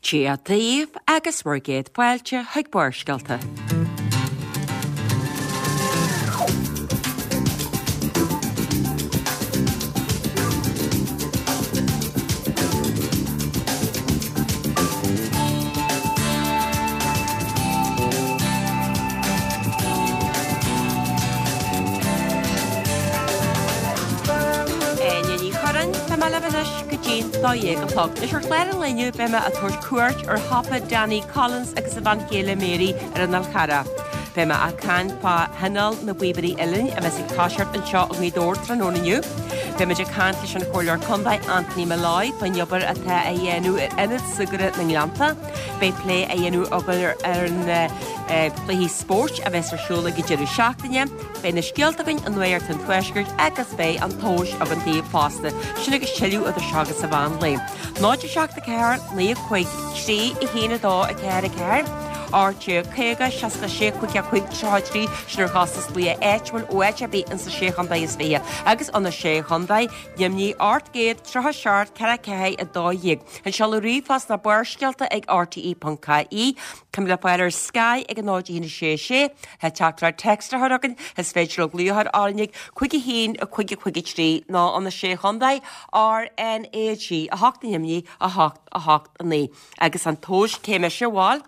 Dia daoibh agus bhur gcéad fáilte chuig Barrscéalta. Áine Ní Churráin, tá mé libh anois go dtí an 12 a chlog. Anois ar chlár an lae inniu beidh mé ag tabhairt cuairt ar shiopa Danny Collins agus a bhean chéile Mary ar an Fhál Charrach. Beidh mé ag caint fá Thionól na bPíobairí Uilleann a bheas ag toiseacht anseo i Ngaoth Dobhair tráthnóna inniu. Beidh muid ag caint leis an Chomhairleoir Contae Anthony Molloy faoin obair atá á dhéanamh ar Ionad Súgartha na nGleannta. Beidh plé á dhéanamh againn ar na cluichí spóirt a bheas ar siúl ag an deireadh seachtaine. Beidh na scéalta againn i Nuacht an Tuaiscirt agus beidh an tomhas againn daoibh fosta. Sin agus tuilleadh idir seo agus an mheán lae. 0 7 4 9 5 3 1 2 4 4 18 50 66 55 33 sin ar chostas glaoch áitiúil ó áit ar bith insa Sé Chontae is 20 agus ó na Sé Chontae, Luimnigh 837 44 12. An seoladh ríomhphost ná barrscéalta ag rte.ie. Tá muid le fáil ar Sky ag 0 1 6 6. Tá teachtaireacht text a chur chugainn, is féidir libh glaoch a chur orainn ag 5 1 5 5 3 nó ó na Sé Chontae, RnaG 8 i nDoimhnigh, 8 8 9. Agus an tomhas cé mise, bhuel?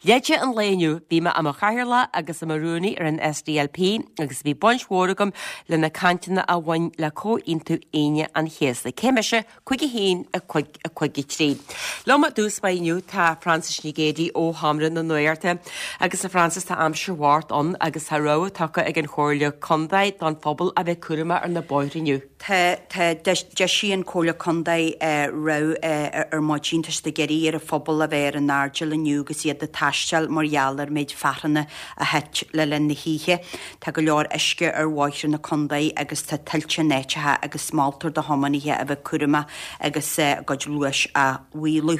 Leide an lae inniu, bhí mé i mo chathaoirleach agus i mo rúnaí ar an SDLP agus bhí baint mhór agam le na cainteanna a bhain le Comhaontú Aoine an Chéasta. Cé mise? 5 1 5 5 3. Liom i dtús báire inniu tá Frances Nic Géadaigh ó Sheomra na Nuachta. Agus a Frances, tá aimsir bhocht ann agus tá rabhadh tugtha ag an Chomhairle Contae don phobal a bheith cúramach ar na bóithre inniu. Tá, tá, d'eisigh an Comhairle Contae rabhadh ar maidin, tá siad ag iarraidh ar an phobal a bheith ar a n-airdeall inniu agus iad ag taisteal mar gheall ar méid fearthanna a thit le linn na hoíche. Tá go leor uisce ar bhóithre na contae agus tá tuilte in áiteacha agus moltar do thiománaithe a bheith cúramach agus a gcuid luais á mhaolú.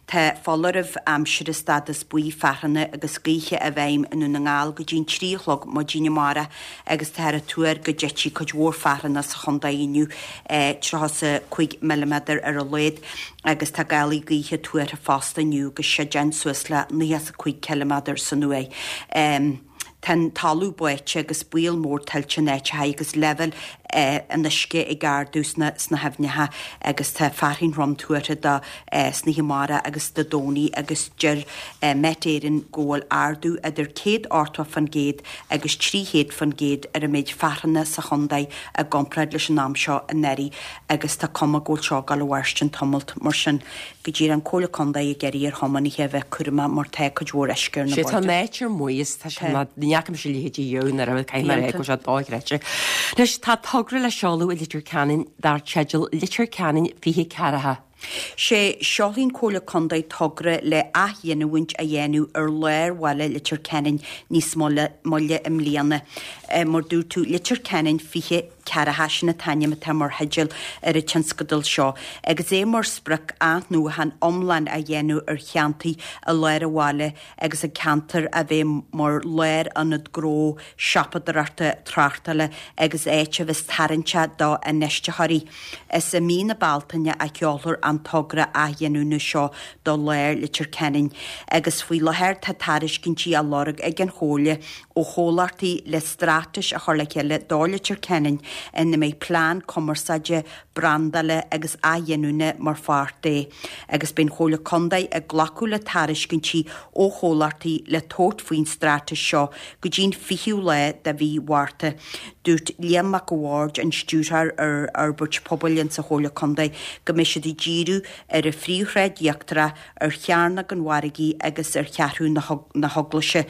Tá foláireamh aimsire stádas buí fearthanna agus gaoithe i bhfeidhm i nDún na nGall go dtí an 3 a chlog maidin amárach agus táthar ag tuar go dtitfidh cuid mhór fearthanna sa chontae inniu, 35 milliméadar ar a laghad, agus tá gálaí gaoithe tuartha fosta inniu agus séideáin suas le 95 ciliméadar san uair. Tá an talamh báite agus baol mór tuilte in áiteacha agus leibhéil an uisce ag ardú sna haibhneacha agus tá fearthainn throm tuartha do san oíche amárach agus Dé Domhnaigh agus deir Met Éireann go bhfuil ardú idir 180% agus 300% ar an méid fearthanna sa chontae i gcomparáid leis an am seo anuraidh agus tá cuma go bhfuil seo ag dul a mhairstin tamalt. Mar sin, go díreach an Comhairle Contae ag iarraidh ar thiománaithe a bheith cúramach mar tá cuid mhór uisce ar na Sé tá an áit ar maos, tá sé ná ní fhaca mise a leithéid riamh nuair a caithfidh mé a rá go bhfuil sé dochreidte. Anois tá togra le seoladh i Leitir Ceanainn dar teideal Leitir Ceanainn 20 ceathracha. Sé seolfaidh an Comhairle Contae togra le athghiniúint a dhéanamh ar lár bhaile Leitir Ceanainn níos moille i mbliana. Mar dúirt tú, Leitir Ceanainn 20 ceathracha, sin an t-ainm atá mar theideal ar an tionscadal seo, agus é mar sprioc athnuachan iomlán a dhéanamh ar cheantair i lár an bhaile agus an ceantar a bheith mar lárionad gnó, siopadóireachta, tráchtála agus áit a bheas tarraingteach do infheistitheoirí. Is i mí na Bealtaine a sheolfar an togra athghiniúna seo do lár Leitir Ceanainn agus faoi láthair tá tairiscintí á lorg ag an Chomhairle ó chomhlachtaí le straitéis a chur le chéile do Leitir Ceanainn ina mbeidh plean cumarsáide, brandála agus athghiniúna mar pháirt de agus beidh an Chomhairle Contae ag glacadh le tairiscintí ó chomhlachtaí le tabhairt faoin straitéis seo go dtí'n 20ú lá de mhí Mhárta. Dúirt Liam Mac a' Bhaird, an Stiúrthóir ar Fhorbairt Pobail insa Chomhairle Contae, go mbeidh siad ag díriú ar an Phríomhshráid Íochtarach, ar Chearnóg an Mhargaidh agus ar Cheathrú na hEaglaise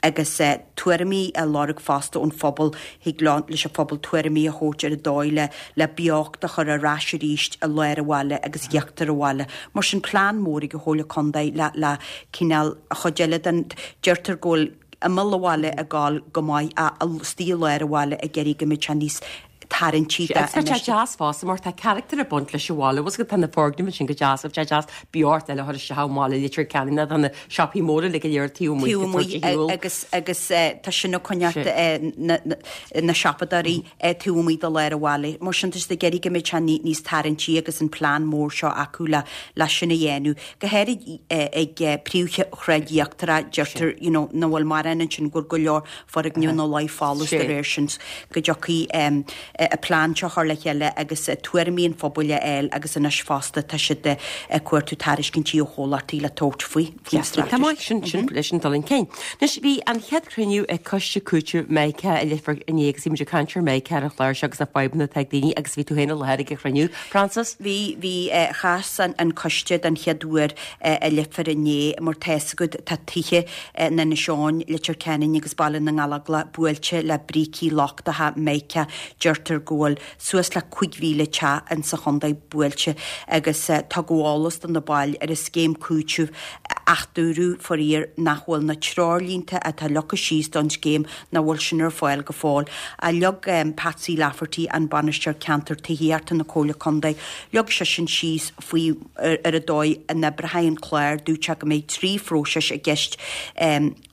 agus tuairimí á lorg fosta ón phobal. Thig leo, leis an phobal tuairimí a thabhairt ar an dóigh le le beocht a chur ar ais arís i lár an bhaile agus íochtar an bhaile. Mar sin plean mór ag an Chomhairle Contae le le cineál an chuid eile den, deirtear go bhfuil imeall an bhaile ag gabháil go maith ach istigh i lár an bhaile ag iarraidh go mbeidh sé níos. tarraingtí Agus tá sé deas fosta mar tá carachtar ag baint leis an bhaile, bhfuil 's agat tá na foirgnimh ansin go deas, tá sé deas beocht eile a chur isteach i mbaile Leitir Ceanainn ná tá na siopaí móra uilig go léir taobh amuigh Taobh amuigh agus agus tá sin ag coinneáil na siopadóirí taobh amuigh de lár an bhaile. Mar sin tá siad ag iarraidh go mbeidh sé níos tarraingtí agus an plean mór seo acu le le sin a dhéanamh. Go háirid ag príomhshráid íochtarach deirtear you know nach bhfuil mórán ansin go bhfuil go leor foirgneamh ina luí folamh de réir sin go dtiocfaidh an plean seo a chur le chéile agus tuairimí an phobail a fháil agus anois fosta tá siad ag cuartú tairiscintí ó chomhlachtaí le tabhairt faoi faoin straitéis. Tá maith sin sin leis an dul chun cinn. Anois bhí an chéad chruinniú ag Coiste Cúitimh Meiceá i Leifear inné agus bhí muid ag caint ar Meiceá ar an chlár seo agus na fadhbanna atá ag daoine agus bhí tú féin i láthair ag an chruinniú, Frances? Bhí, bhí, chas an coiste den chéad uair i Leifear inné mar tá 'fhios agat tá tithe in Inis Eoghain, Leitir Ceanainn agus Baile na nGallóglach buailte le brící lochtacha mica. Deirtear go bhfuil suas le 5,000 teach in sa chontae buailte agus tugadh eolas do na baill ar an scéim cúitimh ach dúradh, faraor, nach bhfuil na treoirlínte atá leagtha síos don scéim nach bhfuil sin ar fáil go fóill. Leag Patsy Lafferty, an Bainisteoir Ceantair Tithíochta na Comhairle Contae, leag seisean síos faoi ar an dóigh a n-oibreoidh an clár, dúirt sé go mbeidh 3 phróiseas i gceist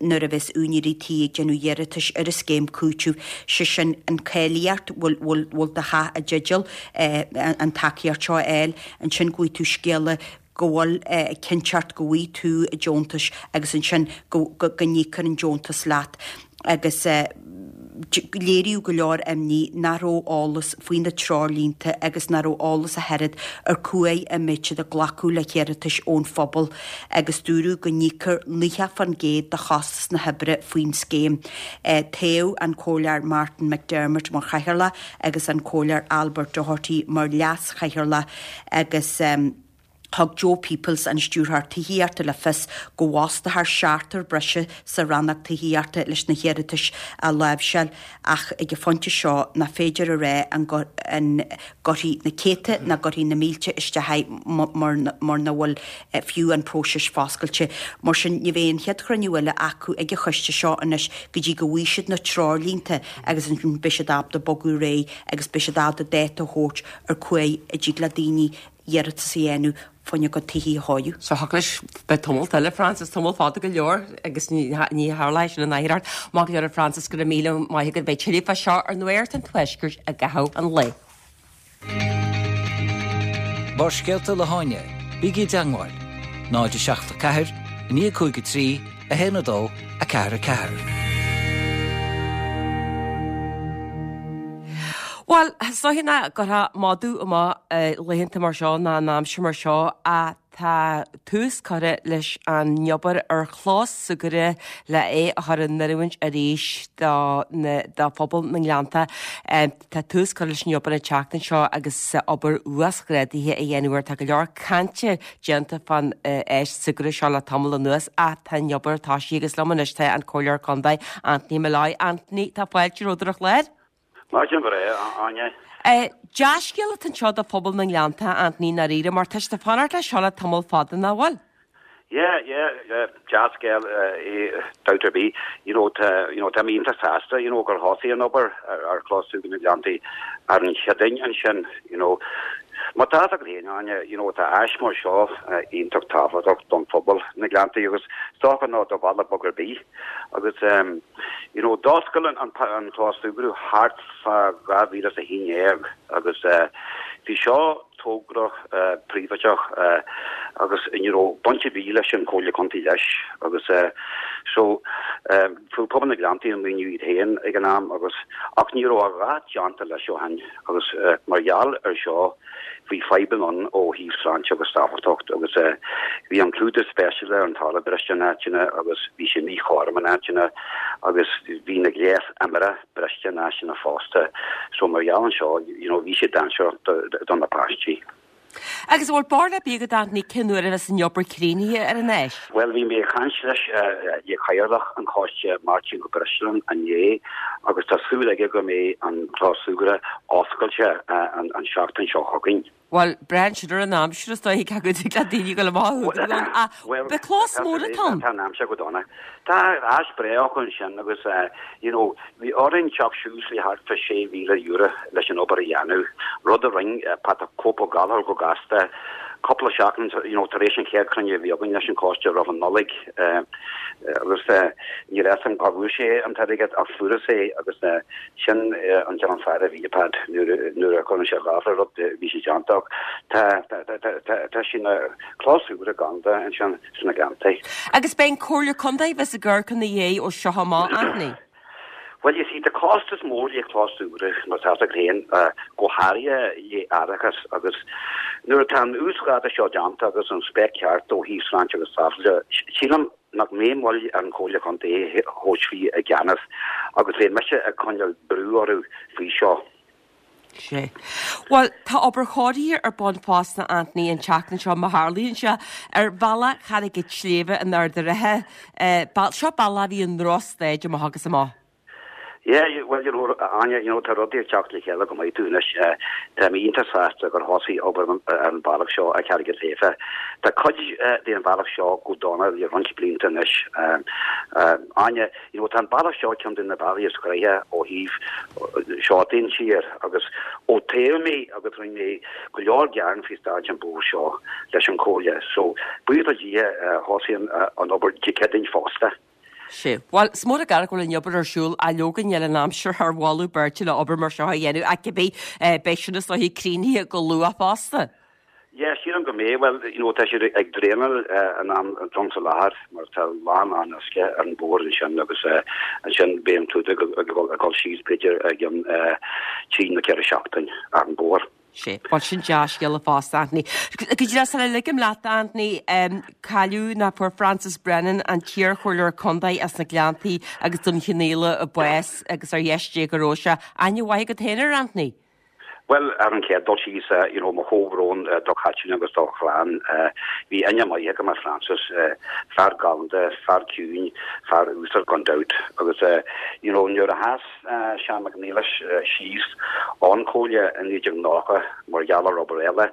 nuair a bheas úinéirí tí ag déanamh iarratais ar an scéim cúitimh, sé sin an cáilíocht, bhfuil bhfuil do theach i dteideal an tacaíocht seo a fháil, ansin go bhfaighidh tú scéala go bhfuil cinnteacht go bhfaighidh tú deontas agus ansin go go n-íocfar an deontas leat. agus léiríodh go leor imní nach raibh eolas faoi na treoirlínte agus nach raibh eolas ach oiread ar cá huair a mbeidh siad ag glacadh le hiarratais ón phobal agus dúradh go n-íocfar 90% de chostas na hoibre faoin scéim. Toghadh an Comhairleoir Martin McDermott mar chathaoirleach agus an Comhairleoir Albert Doherty mar leas-chathaoirleach agus. Thug Joe Peoples, an Stiúrthóir Tithíochta le fios go bhfostófar seachtar breise sa rannóg tithíochta leis na hiarratais a láimhseáil ach ag an phointe seo nach féidir a rá an gcuirfidh na céadta nó gcuirfidh na mílte isteach é mar nach bhfuil fiú an próiseas foscailte. Mar sin ní bheidh an chéad chruinniú eile acu ag an choiste seo anois go dtí go bhfaighidh siad na treoirlínte agus ansin beidh siad ábalta bogadh ar aghaidh agus beidh siad ábalta dáta a thabhairt ar cá huair a dtig le daoine iarratas a dhéanamh fá choinne a gcuid tithí a chóiriú. So thiocfadh leis beidh tamalt eile, Frances, tamall fada go leor agus ní tharlóidh sin in áitheoireacht. Maith go leor a Frances, go raibh míle maith agat. Beidh tuilleadh fá seo ar Nuacht an Tuaiscirt i gcaitheamh an lae. Barrscéalta le hÁine, bígí i dteangmháil, 0 7 4 9 5 3 1 2 4 4. Bhuel, is dóiche nach gcuirfeá madadh amach laethanta mar seo ná in aimsir mar seo ach tá tús curtha leis an obair ar chlós súgartha le é a chur in oiriúint arís do phobal na nGleannta. Tá tús curtha leis an obair an tseachtain seo agus obair uasghrádaithe á dhéanamh air. Tá go leor cainte déanta fán áis súgartha seo le tamall anuas ach tá an obair tosaithe agus liom anois tá an Comhairleoir Contae, Anthony Molloy. Anthony, tá fáilte romhat ar an chlár. Maidin bhreá, a Áine. Dea-scéal atá anseo do phobal na nGleannta, Anthony, i ndáiríre, mar tá siad ag fanacht leis seo le tamall fada, nach bhfuil? Yeah, yeah, yeah, dea-scéal é, dabht ar bith. You know, tá, you know, tá mé iontach sásta, you know, gur thosaigh an obair ar chlós súgartha na nGleanntaí ar an Chéadaoin ansin, you know. Mar tá fhios agat féin, Áine, you know, tá áis mar seo iontach tábhachtach don phobal na Gleanntaí agus is dócha nó do bhaile beag ar bith. Agus, you know, d'oscail an, an clós súgartha thart fá 2011 agus bhí seo, togra príobháideach agus ní raibh baint ar bith leis an Chomhairle Contae leis agus so fuair pobal na Gleanntaí an maoiniú iad féin ag an am agus ach ní raibh a dhath déanta leis ó shin agus mar gheall ar seo bhí fadhbanna ann ó thaobh sláinte agus sábháilteacht agus bhí an clúdach speisialta ar an talamh briste in áiteanna agus bhí sé míchothrom in áiteanna agus bhí na gléas iomaireachta briste in áiteanna fosta. So mar gheall an seo, you know, bhí sé dainséarach do na páistí. Agus an bhfuil barúil ar bith agat Anthony cén uair a bheas an obair críochnaithe ar an áis? Bhuel bhí mé ag caint leis le cathaoirleach an choiste Máirtín Ó Breisleáin inné agus tá súil aige go mbeidh an clós súgartha oscailte an seachtain seo chugainn. Bhuel, braitheann sin ar an aimsir is dóiche cé go dtig le daoine dul amach a údar ann ach beidh clós mór atá ann. Tá an aimsir go dona. Tá áis breá acu ansin agus you know bhí orainn teacht suas le thart fá €6,000 leis an obair a dhéanamh, rud a rinne Pat the Cope Ó Gallchóir go gasta cúpla seachtain you know tar éis an chéad chruinniú a bhí againn leis an choiste roimh an Nollaig agus níl a fhios agam cá bhfuair sé an t-airgead ach fuarthas é agus Sin an cineál fear a bhí i Pat nuair a chuireann sé lámh le rud bhí sé déanta ach tá sé ina chlós úr galánta ansin sna Gleanntaí. Agus beidh an Comhairle Contae a bheas ag amharc ina dhiaidh ó seo amach, Anthony. Bhuel, you see, tá costas mór le clós úr, mar tá a fhios agat féin, go háirithe le árachas agus nuair atá an uasghrádú seo déanta agus an spec ceart ó thaobh sláinte agus sábháilteachta, sílim, nach mbeidh moill ar an Chomhairle Chontae é a thabhairt faoi i gceannas agus beidh mise ag coinneáil brú orthu faoi seo. Sea. Bhuel, tá obair chóirithe ar bun fosta, Anthony, an tseachtain seo, má tharlaíonn sé, ar bhealach Charraig an tSléibhe in Ard an Rátha. Seo bealach a bhí i ndrochstaid amach agus amach. Yeah, well, you know, Áine, you know, tá rudaí ag teacht le chéile go maith dúinn anois. Tá mé iontach sásta gur thosaigh obair ar an bhealach seo ar Charraig an tSléibhe. Tá cuid den bhealach seo go dona le roinnt blianta anois. Áine, you know, tá an bealach seo ceann de na bealaí is gnoithe ó thaobh seo den tír agus ó toghadh mé agus rinne mé go leor gearán faoi staid an bhóthair seo leis an Chomhairle. So, buíochas le Dia, thosaigh an obair Dé Céadaoin fosta. Sea. Bhuel, is mór an gar go bhfuil an obair ar siúl ach leoga níl an aimsir thar mholadh beirte le obair mar seo a dhéanamh ach cibé, beidh sin is dóiche críochnaithe go luath fosta. Yeah, sílim go mbeidh. Bhuel, you know, tá siad ag draenáil an am sa láthair mar tá a lán lán uisce ar an bhóthar ansin agus ansin beidh an clúdach ag dul síos b'fhéidir i gcionn trí nó ceithre seachtain ar an bhóthar. Sea. Bhuel, sin dea-scéala fosta, Anthony. Go díreach sula ligim leat, Anthony, cailleadh nó fuair Francis Brennan, an t-iarchomhairleoir contae as na Gleanntaí agus Dún Chionnaola, bás agus ar dheis Dé go raibh sé. Aithne mhaith agat féin air, Anthony? Bhuel, ar an chéad dul síos, you know, mo chomhbhrón do Chaitlín agus dá chlann. Bhí aithne maith agam ar Francis, fear galánta, fear ciúin, fear uasal gan dabht. Agus, you know, nuair a sheas Seán Mac Niallais síos ón Chomhairle i 1990 mar gheall ar obair eile.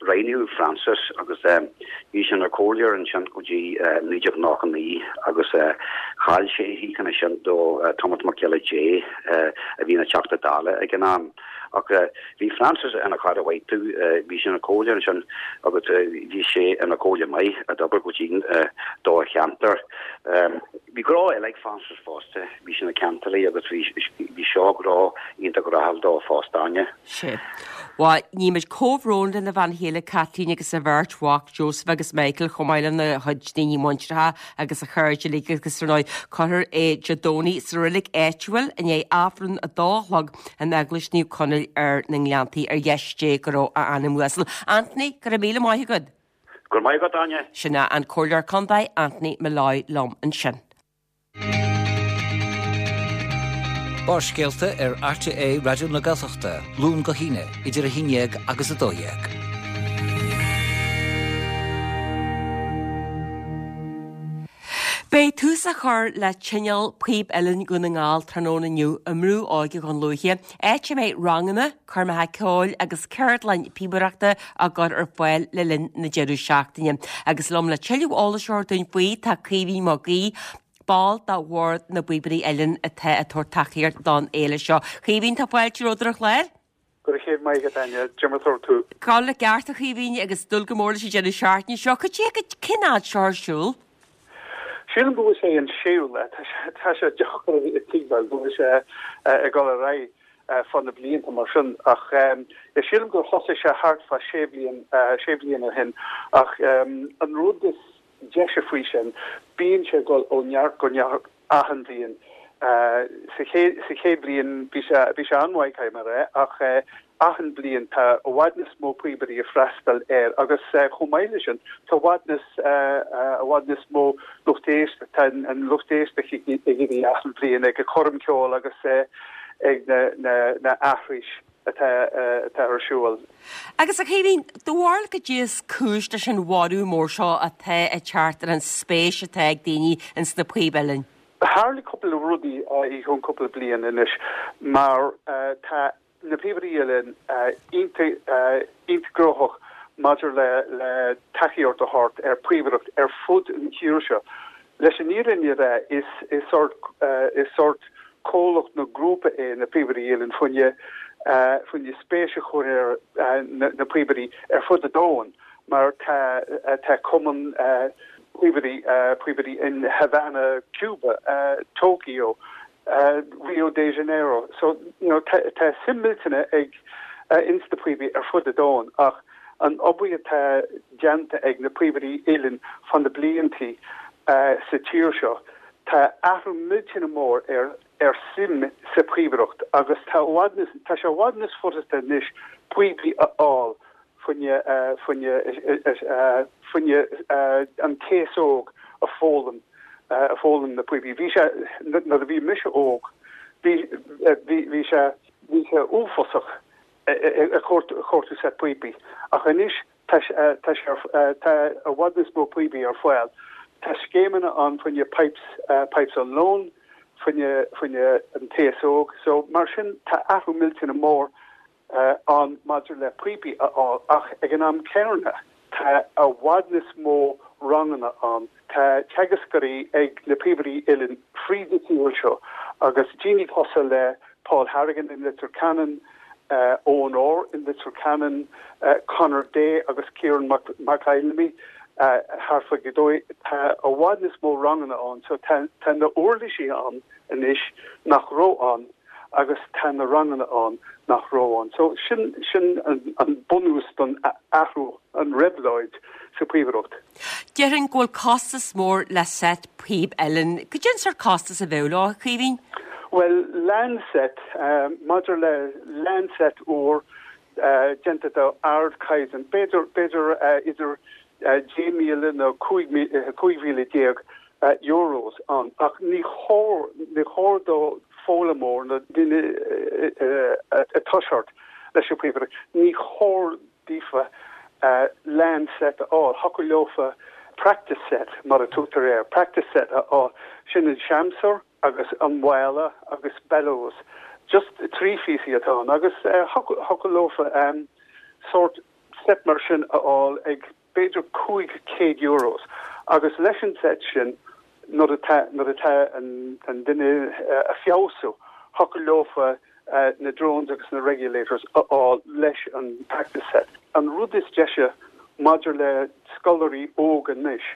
Roghnaíodh Francis agus bhí sé ina chomhairleoir ansin go dtí 1999 agus chaill sé a shuíochán ansin do Tomás Mac Giolla Dé a bhí ina Theachta Dála ag an am. Ach bhí Francis ina chara mhaith domh, bhí sé ina chomhairleoir ansin agus bhí sé ina chomhairleoir maith a d'obair go dian do a cheantar. Bhí gnó eile ag Francis fosta, bhí sé ina ceantálaí agus bhí seo gnó iontach rathúil dó fosta, Áine. Sea. Bhuel, nímid comhbhrón lena bhean chéile Caitlín agus a bheirt mhac Joseph agus Michael chomh maith lena chuid daoine muinteartha agus a chairde uilig agus ar ndóigh cuirfear é Dé Domhnaigh sa reilig áitiúil i ndiaidh Aifreann a dó a chlog in Eaglais Naomh Conaill ar na nGleanntaí ar dheis Dé go raibh a anam uasal. Anthony, go raibh míle maith agat. Go raibh maith agat, Áine. Sin é an Comhairleoir Contae Anthony Molloy liom ansin. Barrscéalta ar RTÉ Raidió na Gaeltachta, Luan go hAoine, idir 11 agus 12. Beidh tús á chur le Tionól Píob Uilleann Dhún na nGall tráthnóna inniu i mBrú Óige Dhún Lúiche, áit a mbeidh ranganna, coirmeacha ceoil agus ceardlann píobaireachta á gcur ar fáil le linn na deireadh seachtaine. Agus liom le tuilleadh eolais a thabhairt dúinn faoi tá Caoimhín Mac Aoidh, ball de Bhord na bPíobairí Uilleann atá ag tabhairt tacaíocht don fhéile seo. Caoimhín, tá fáilte romhat ar an chlár. Go raibh céad maith agat, Áine. Cad é mar atá tú? Go ceart, a Chaoimhín, agus dúil go mór leis an deireadh seachtaine seo. Cad é, cén fhad seo ar siúl? Sílim go bhfuil sé an séú lá. Tá sé deacair a thuigbheáil go bhfuil sé ag dul ar aghaidh fá na blianta mar sin. Ach sílim gur thosaigh sé thart fá sé bhliain, sé bhliain ó shin. Ach an rud is deise faoi sin, bíonn sé ag dul ó neart go neart achan bhliain. Sa chéad bhliain bhí sé bhí sé an-mhaith, caithfidh mé a rá, ach achan bhliain tá i bhfad níos mó píobairí ag freastal air agus chomh maith leis sin tá i bhfad níos i bhfad níos mó lucht éisteachta, tá an lucht éisteachta ag éirí achan bhliain ag an choirm ceoil agus ag na na na aithris. atá atá ar siúl. Agus a Chaoimhín, do bharúil cad é is cúis leis an bhorradh mór seo atá ag teacht ar an spéis atá ag daoine ins na píob uilleann? Tharla cúpla rudaí i gceann cúpla bliain anois mar tá. na Píobairí Uilleann iontach gnóthach maidir le le tacaíocht a thabhairt ar phíobaireacht ar fud an tír seo. Leis an fhírinne a rá is is sórt is sórt comhlacht nó grúpa é na Píobairí Uilleann fá choinne fá choinne spéis a chur ar na píobairí ar fud an domhain mar tá tá cumann píobairí píobairí in Havana, Cuba, Tokyo, Rio de Janeiro. So, you know, tá tá suim millteanach ag ins na píobairí ar fud an domhain ach an obair atá déanta ag na Píobairí Uilleann fá na bliantaí sa tír seo, tá athrú millteanach mór ar ar suim sa phíobaireacht agus tá i bhfad níos tá sé i bhfad níos furasta anois píobaí a fháil fá choinne fá choinne fá choinne an t-aos óg a foghlaim a foghlaim na píobaí. Bhí sé nuair a bhí mise óg bhí bhí bhí sé bhí sé uafásach ag cuartú set píopaí ach anois tá tá sé tá i bhfad níos mó píopaí ar fáil. Tá scéimeanna ann fá choinne pipes pipes on loan fá choinne fá choinne an t-aos óg so mar sin tá athrú millteanach mór ann maidir le píopaí a fháil ach ag an am céanna tá i bhfad níos mó ranganna ann. Tá teagascóirí ag na Píobairí Uilleann fríd an tír seo agus daoine cosúil le Paul Harrigan in Leitir Ceanainn, Eoin Orr in Leitir Ceanainn, Conor Day agus Ciarán McFheilimí thart fá Ghaoth Dobhair. Tá i bhfad níos mó ranganna ann so tá na uirlisí ann anois nach raibh ann. agus tá na ranganna ann nach raibh ann. So sin, sin an bunús don athrú, an réabhlóid sa phíobaireacht. Déarfainn go bhfuil costas mór le set píob uilleann. Cad é an sórt costas a bheadh leo, a Chaoimhín? Bhuel, lán set, maidir le lán set úr déanta de ardchaighdeán, b'fhéidir, b'fhéidir idir 10,000 nó 15,000 euros ann ach ní chóir, ní chóir do foghlaimeoir nó duine ag toiseacht leis an phíobaireacht, ní chóir daofa lán set a fháil. Thiocfadh leofa practice set mar a tugtar air, practice set a fháil. Sin an seamsúr agus an mála agus bellows. Just 3 phíosaí atá ann agus thiocfadh leofa sórt set mar sin a fháil ag b'fhéidir 500 euros agus leis an set sin nuair atá nuair atá an an duine ag feabhsú thiocfadh leofa na drones agus na regulators a fháil leis an practice set. An rud is deise maidir le scoláirí óga anois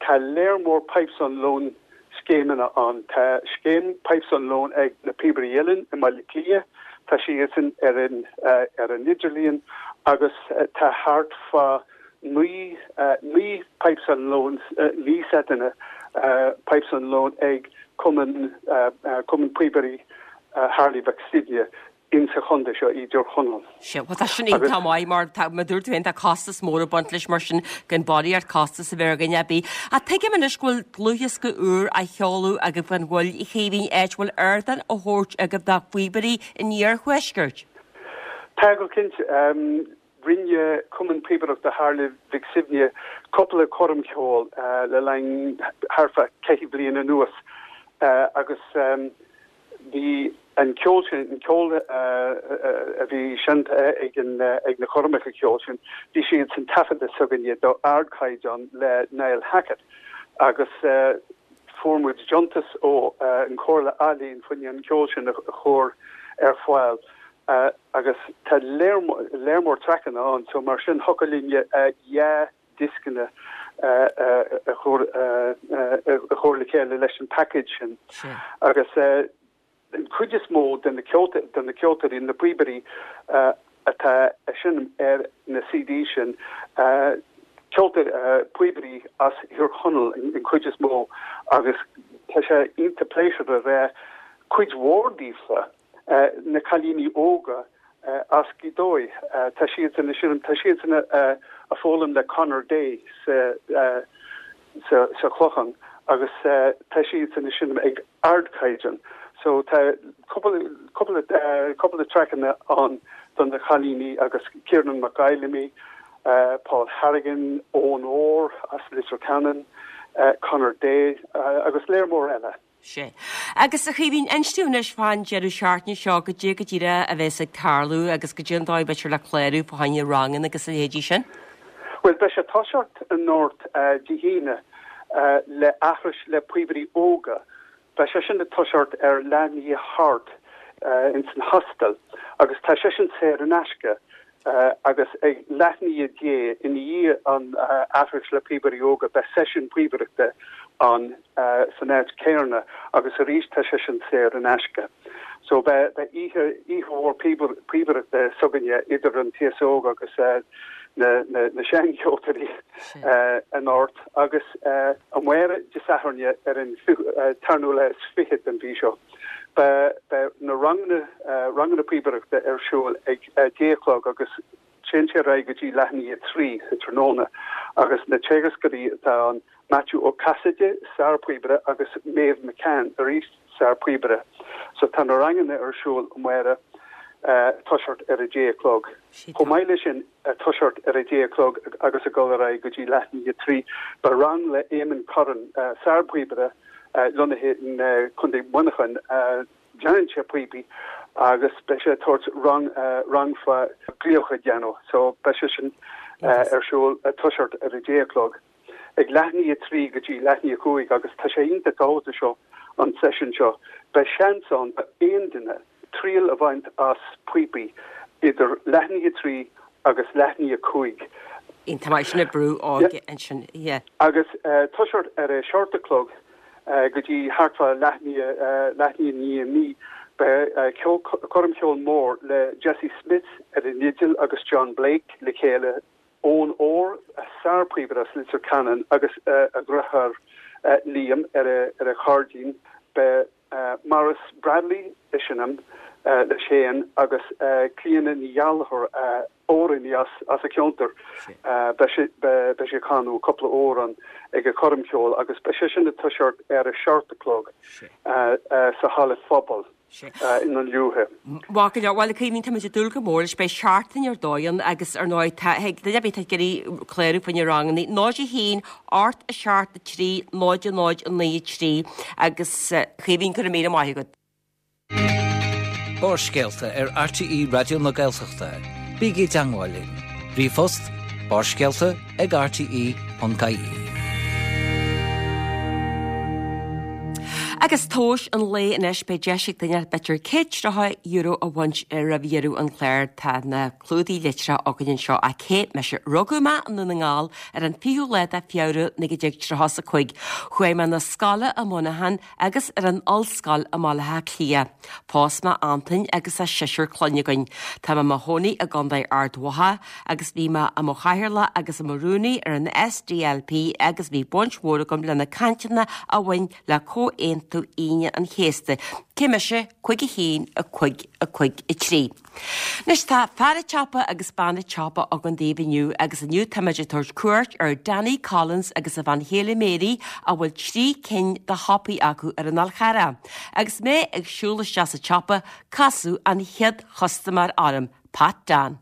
tá léar mór pipes on loan scéimeanna ann. Tá scéim Pipes on Loan ag na Píobairí Uilleann i mBaile Átha Cliath, tá siadsan ar an ar an idirlíon agus tá thart fá 9 9 Pipes on Loan, 9 seiteanna Pipes on Loan ag Cumann Cumann Píobairí Tharlaigh Mhic Suibhne. in sa chontae seo i dTír Chonaill. Sea, bhuel tá sin iontach maith mar tá, mar dúirt tú féin, tá costas mór ag baint leis mar sin gan barraíocht costas a bheith ar dhuine ar bith. Ach tuigim anois go bhfuil dlúthdhiosca úr á sheoladh agaibh gan mhoill, a Chaoimhín, áit a bhfuil ardán á thabhairt agaibh do phíobairí an iarthuaiscirt. Tá go cinnte. Rinne Cumann Píobaireachta Tharlaigh Mhic Suibhne cúpla coirm cheoil le linn thart fá cheithre bliana anuas agus bhí an ceol sin, an ceol a bhí seinnte ag ag na coirmeacha ceoil sin, bhí siad san taifeadta s'againne d'ardchaighdeán le Niall Hackett agus fuair muid deontas ó an Chomhairle Ealaíon fá choinne an ceol sin a chur ar fáil. Agus tá léar mór traiceanna ann so mar sin thiocfadh linn 2 dioscanna a chur a chur le chéile leis an package sin. Agus an chuid is mó de na de na ceoltóirí, na píobairí atá ag seinm ar na CD sin, ceoltóirí, píobairí as Thír Chonaill an chuid is mó agus tá sé iontach pléisiúrtha a bheith cuid mhór daofa na cailíní óga as Gaoth Dobhair, tá siadsan ag seinm, tá siadsan ag foghlaim le Conor Day sa sa Chlochán agus tá siadsan ag seinm ag ardchaighdeán. So tá cúpla cúpla cúpla traiceanna ann do na cailíní agus Ciarán Mac Fheilimí, Paul Harrigan, Eoin Orr as Leitir Ceanainn, Conor Day agus léar mór eile. Sea. Agus a Chaoimhín, inis dúinn anois fán deireadh seachtaine seo, goidé go díreach a bheas ag tarlú agus goidé an dóigh b'fhéidir le clárú fá choinne ranganna agus a leithéidí sin. Bhuel, beidh sé ag toiseacht anocht Dé hAoine le aithris le píobairí óga. Beidh sé sin ag toiseacht ar leath i ndiaidh a hocht ins an hostel agus tá sé sin saor in aisce. Agus ag leath i ndiaidh a deich, i ndiaidh an aithris le píobairí óga, beidh seisiún píobaireachta ann san áit céarna agus arís tá sé sin saor in aisce. So beidh oíche, oíche mhór píobaireachta s'againne idir an t-aos óg agus na, na, na seancheoltóirí anocht agus amárach Dé Sathairn ar an tarnú lá is fichead den mhí seo. Beidh na ranganna, ranganna píobaireachta ar siúl ag 10 a chlog agus téann sé ar aghaidh go dtí leath i ndiaidh a 3 sa tráthnóna agus na teagascóirí atá ann, Maitiú Ó Casaide, sár-phíobaire agus Maeve McCann, arís sár-phíobaire. So tá na ranganna ar siúl amárach, toiseacht ar a 10 a chlog. Chomh maith leis sin, toiseacht ar a 10 a chlog agus ag dul ar aghaidh go dtí leath i ndiaidh a 3, beidh rang le Éamonn Curran, sár-phíobaire, lonnaithe in Contae Mhuineacháin. Déanann sé píopaí agus beidh sé ag tabhairt rang rang fá glaoch a dhéanamh. So beidh sé sin ar siúl ag toiseacht ar a 10 a chlog. Ag leath i ndiaidh a 3 go dtí leath i ndiaidh a 5 agus tá sé iontach tábhachtach seo an seisiún seo. Beidh seans ann do aon duine triail a bhaint as píopaí idir leath i ndiaidh a 3 agus leath i ndiaidh a 5. Iontach maith sin an brú óige ansin. Yeah. Agus toiseacht ar a seacht a chlog go dtí thart fá leath i ndiaidh a 9, beidh coirm cheoil mór le Jesse Smith ar an fhidil agus John Blake le chéile, Eoin Orr, sár-phíobaire as Leitir Ceanainn agus a dheartháir Liam ar a chairdín. Beidh Maurice Bradley ag seinm leis féin agus Clíona Ní Ghallchóir, amhránaí as an cheantar. Beidh sí ag canadh cúpla amhrán ag an choirm cheoil agus beidh sé sin ag toiseacht ar a seacht a chlog sa halla phobail i nDún Lúiche. Maith go leor. Bhuel, a Chaoimhín, táimid ag dúil go mór leis. Beidh seachtain ar dóigh ann agus ar ndóigh tá, thig duine ar bith atá ag iarraidh clárú fá choinne ranganna, 0 1 8 7 3 0 0 9 3 agus a Chaoimhín, go raibh míle maith agat. Barrscéalta ar RTÉ Raidió na Gaeltachta. Bígí i dteangmháil linn. Ríomhphost, barrscéalta ag rte.ie. Agus tomhas an lae anois, beidh deis ag duine b'fhéidir €130 a bhaint roimh dheireadh an chláir. Tá na clúdaigh litreacha againn anseo. Ach cé mise? Rugadh mé i nDún na nGall ar an 20ú lá de Feabhra 1935. Chuaigh mé 'na scoile i Muineachán agus ar an ollscoil i mBaile Átha Cliath. Phós mé Antain agus tá seisear clainne againn. Tá mé i mo chónaí i gContae Ard Mhacha agus bhí mé i mo chathaoirleach agus i mo rúnaí ar an SDLP agus bhí baint mhór agam le na cainteanna a bhain le Comhaontú Aoine an Chéasta. Cé mise? 5 1 5 5 3. Anois tá fear an tsiopa agus bean an tsiopa againn daoibh inniu agus inniu táimid ag tabhairt cuairt ar Danny Collins agus a bhean chéile Mary a bhfuil 3 cinn de shiopaí acu ar an Fhál Charrach. Agus mé ag siúl isteach sa tsiopa casadh an chéad chustaiméir orm, Pat Dan.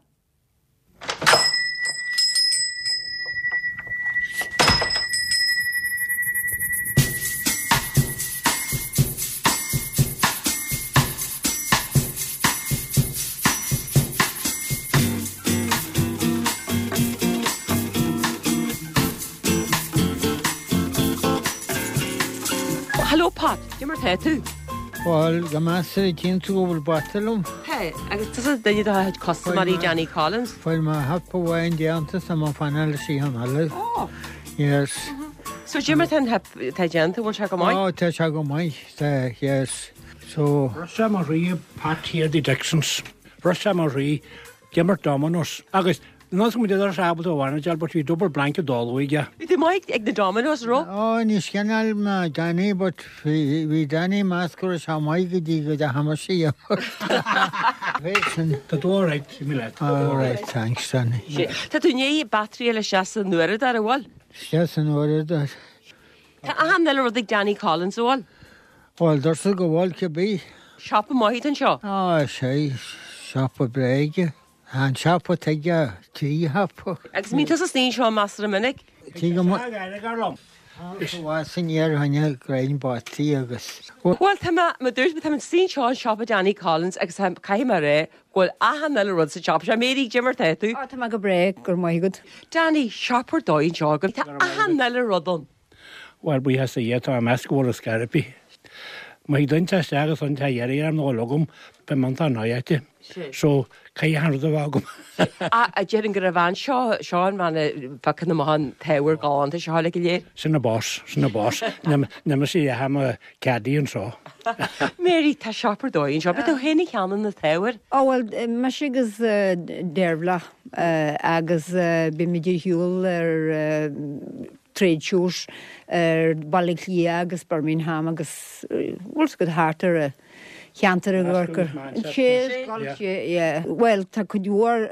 Hello Pat, cad é mar tá tú? Bhuel, go measartha tchíonn tú go bhfuil bata liom. Hey, agus tusa duine de chuid custaiméirí Danny Collins? Fuair mé hip amháin déanta is tá mé ag fanacht leis an eile. Oh. Yes. So cad é mar tá an hip atá déanta, bhfuil sé go maith? Oh, tá sé go maith, tá, yes. So. Raibh sé mar rí Pat here the Dixons. Raibh sé mar rí d'imirt dominos agus Nós go mbeadh sé ábalta a mhaireachtáil but bhí double blanket dall aige. Bhí tú maith ag na dominos, raibh? Ó, ní scineáil mé Danny but bhí Danny meas go raibh sé maith go dtí go dteachaigh mise a imirt. Tá tú alright, imigh leat. Alright, thanks Danny. Tá tú i ndiaidh battery a fháil isteach san uaireadóir, an bhfuil? Isteach san uaireadóir. Tá achan uile rud ag Danny Collins, an bhfuil? Bhuel, deirtear go bhfuil, cibé. Siopa maith atá anseo. Á, sea, siopa bréige. Tá an siopa tuige, trí shiopa. Agus an mbíonn tusa istigh anseo measartha minic? Tí go mba. Is aniar choinne greim bataí agus. Bhuel, tá mé, mar dúirt mé, tá mé istigh anseo i siopa Danny Collins agus tá, caithfidh mé a rá go bhfuil achan uile rud sa tsiopa seo. Mary, cad é mar tá tú? Á, tá mé go breá, go raibh maith agat. Danny, siopa ar dóigh anseo agat. Tá achan uile rud ann. Bhuel, buíochas do Dhia, tá mé ag meas go bhfuil ar scor ar bith. Má thig duine teacht isteach agus an t-a iarraidh orm nó a logam, beidh mé iontach náireach. So, caithfidh achan rud a bheith agam. A déarfainn gur an bhean seo, seo an bhean a phiocann amach an t-ábhar galánta seo uilig go léir. Sin an boss, sin an boss. Níl mise a dhath i mo caddy anseo. Mary, tá siopa ar dóigh anseo. Ab é tú féin a cheannaigh na t-ábhar? Ó bhuel, mise agus Dearbhla agus bímid ar shiúl ar trade shows ar Bhaile Átha Cliath agus Birmingham agus bhfuil fhios agat thart ar an cheantar i gCorcaigh. Bhuel tá cuid mhór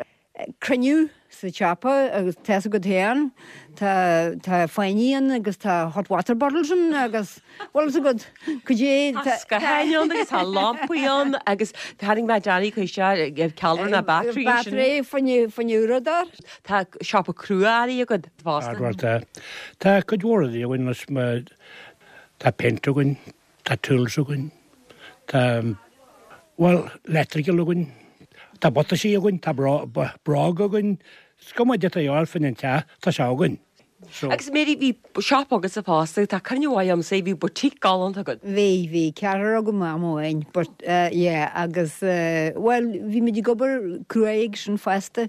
cruinniú sa tsiopa agus tá fhios agat féin tá tá fáinní ann agus tá hot water bottles ann agus bhfuil fhios agat cad é Tá scátháin ann agus tá lampaí ann agus tharraing mé Danny chuig isteach ceallra na battery sin. Battery fá choinne uaireadóir. Tá siopa crua-earraí agat fosta. Bhuel tá. Tá cuid mhór rudaí againn anois mar tá paint againn, tá tools againn, tá, bhuel, electrical againn, tá butaisí againn, tá bróg againn, is cuma caidé atá a dhíobháil fá choinne an teach, tá sé againn. So. Agus Mary, bhí siopa agatsa fosta, tá cuimhne mhaith agamsa, bhí boutique galánta agat. Bhí, bhí ceathrar agam am amháin, but yeah, agus bhuel, bhí muid ag obair cruaidh ag sin fosta.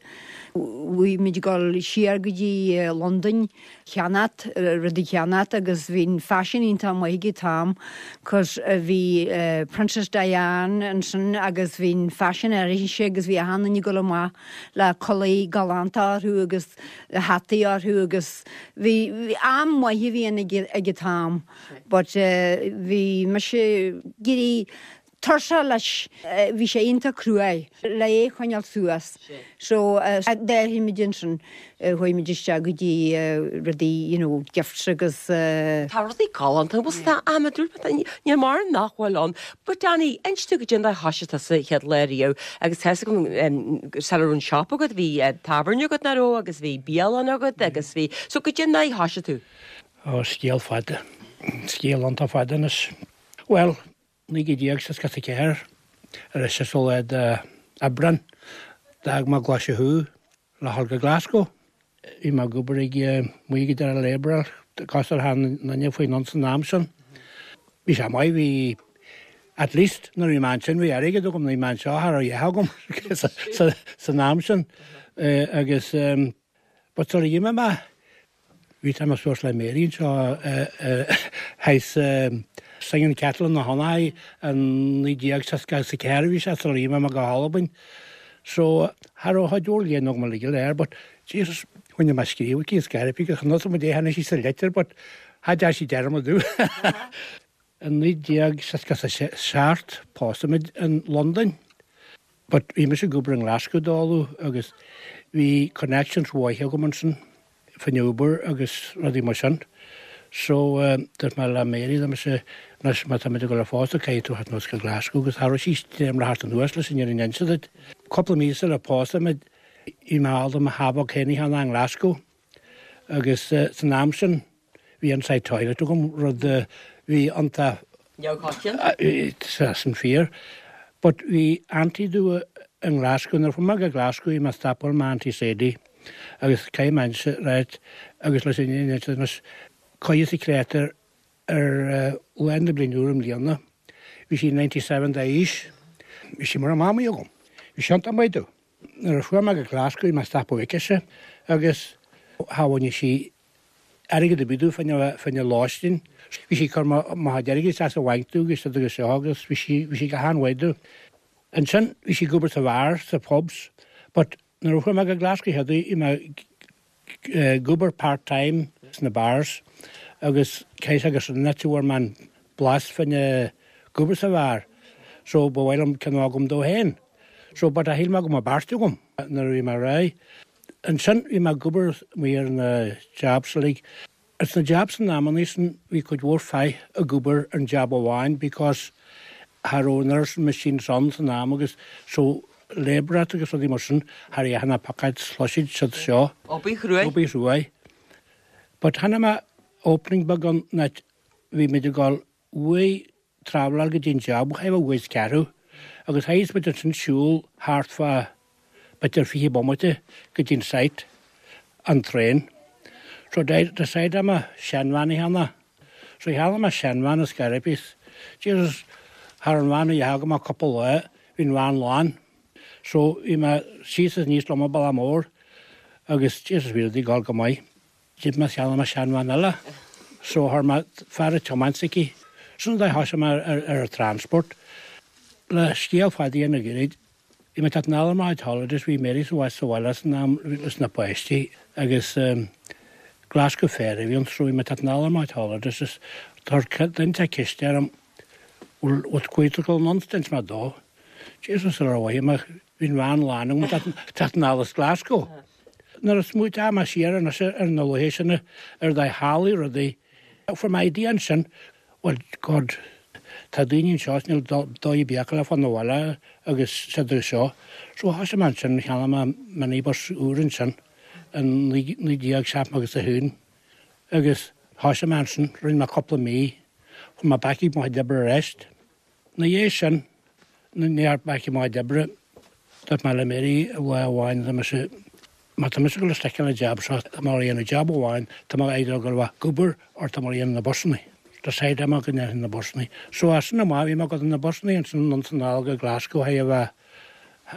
Bhí muid ag dul siar go dtí Londain cheannacht, rudaí cheannacht agus bhí an faisean iontach maith ag an t-am cos bhí Princess Diane ansin agus bhí an faisean uirthise agus bhí achan duine ag dul amach le culaith galánta orthu agus hataí orthu agus bhí, am maith a bhí ann ag an t-am but bhí mise ag éirí tuirseach leis, bhí sé iontach cruaidh le é a choinneáil suas so d'athraigh muid ansin, chuaigh muid isteach go dtí rudaí you know gifts agus. Tá rudaí galánta, bhuel tá am a dúirt mé, níl mórán nach bhfuil ann. But Danny, inis domh goidé an dóigh a thoisigh tusa an chéad lá riamh agus tá fhios agam sula raibh an siopa agat bhí tábhairne agat nach raibh agus bhí bialann agat agus bhí, so goidé an dóigh a thoisigh tú? Ó, scéal fada. Scéal iontach fada anois. Bhuel, 1964, ar an seasú lá d'Aibreán, d'fhág mé Glaise Chú le dhul go Glasgow. Bhí mé ag obair ag amuigh ag Darrell Abrell, cosúil le achan duine faoin ann san am sin. Bhí sé maith, bhí at least nuair a bhí mé ansin bhí airgead agam, nuair a bhí mé anseo cha raibh a dhath agam san am sin. Agus but sula d'imigh mé, Bhí tamall suas le Mary anseo thaghas Singing Kettle na hOnai in 1964 a bhí sé sular imigh mé go hAlbain. So cha raibh chuid mhór léinn agam uilig go léir but Jesus choinnigh mé scríobh aici is gairfí go chonaic muid é tháinig sí sa litir but cha deir sí dearmad domh. In 1967 pósadh muid in Londain. But bhí mise ag obair i nGlasgow dála agus bhí connections mhaithe agam ansin faoin obair agus rudaí mar sin. So dúirt mé le Mary dá mise anois má tá muid ag dul a phósadh caithfidh tú theacht anuas go Glasgow agus cha raibh sí dréim le theacht anuas leis an fhírinne a inse duit. Cúpla mí sular pósadh muid bhí mé ábalta mo theach beag féin a cheannach i nGlasgow agus san am sin Bhí inside toilet agam, rud a bhí iontach. Neamhchoitianta. Sin fíor. But bhí auntie domh i nGlasgow, nuair a chuaigh mé go Glasgow bhí mé ag stopáil m'auntie Sadie agus caithfidh mé inse, right, agus leis an anois, cois sa créatúr ar lá na bliana úr i mbliana. Bhí sí 97 d'aois. Bhí sí mar a mamaí agam. Bhí sí iontach maith domh. Nuair a chuaigh mé go Glasgow bhí mé ag stopadh aicise agus thabhaigh sí airgead ar bith domh fá choinne lóistín. Bhí sí ag cur mo chuid airgid isteach sa bhanc domh agus rud agus seo agus bhí sí, bhí sí go han-mhaith domh. Ansin bhí sí ag obair sa bheár, sa pubs, but nuair a chuaigh mé go Glasgow chéad uair bhí mé ag obair part time sna bars agus caithfidh sé gur sin an áit a bhfuair mé an blas fá choinne ag obair sa bheár. So ba mhaith liom ceann agam domh féin. So but a shíl mé go mbeadh beirt agam nuair a bhí mé réidh. Ansin bhí mé ag obair amuigh ar na jobs uilig. Ins na jobs in amannaí sin bhí cuid mhór fear ag obair ar an job amháin because cha raibh an oiread sin machines ann san am agus so labourer agus rudaí mar sin cha raibh achan piocáid shloisid siad seo. Obair chruaidh. Obair chruaidh. But tháinig mé. opening beag ann an áit bhí muid ag dul uaidh traveláil go dtí an job, chaithfeá uaidh is ceathrú, agus théadh muid ansin siúl thart fá b'fhéidir 20 bomaite go dtí an site, an traein. So decide mé seanveain a cheannach. So cheannaigh mé seanveain as Garippies. Jesus, thar an veain a dheachaigh go mbeadh cúpla lá, bhí an veain lán. So bhí mé síos is aníos liom an bealach mór agus Jesus bhí rudaí ag dul go maith. D'imigh mé cheannaigh mé seanveain eile. So chuir mé fear ag tiomáint aici. Sin an dóigh a thosaigh mé ar an transport. Le scéal fada a dhéanamh gairid, bhí mé ag teacht anall ar mo chuid holidays, bhí Mary sa sa bhaile san am leis na páistí agus Glasgow Fair a bhí ann so bhí mé ag teacht anall ar mo chuid holidays is chuir duine inteacht ceist orm bhfuil bhfuil tú ag dul anonn d'inis mé dó. Jesus ar mhaith mé bhí an veain lán agam ag teacht anall as Glasgow. Nuair a smaoitigh mé siar anois ar na laethe sin ar dóigh tharlaigh rudaí, fuair mé idea ansin, bhuel God, tá daoine anseo is níl dóigh ar bith acu le fáil 'na bhaile agus siad agus seo. So thosaigh mé ansin, cheannaigh mé minibus úr ansin in 1971 agus thosaigh mé ansin, rinne mé cúpla mí, chuaigh mé back ag mo chuid oibre arís. Ina dhiaidh sin, nuair a back i mo chuid oibre, dúirt mé le Mary lá amháin, tá mise, má tá mise ag dul isteach ar an jab seo, tá mé ag déanamh jab amháin, tá mé either ag dul a bheith ag obair or tá mé ag déanamh na busannaí. Decide mé go ndéanfainn na busannaí. So as sin amach bhí mé ag dul na busannaí ansin anonn is anall go Glasgow thar a bheith,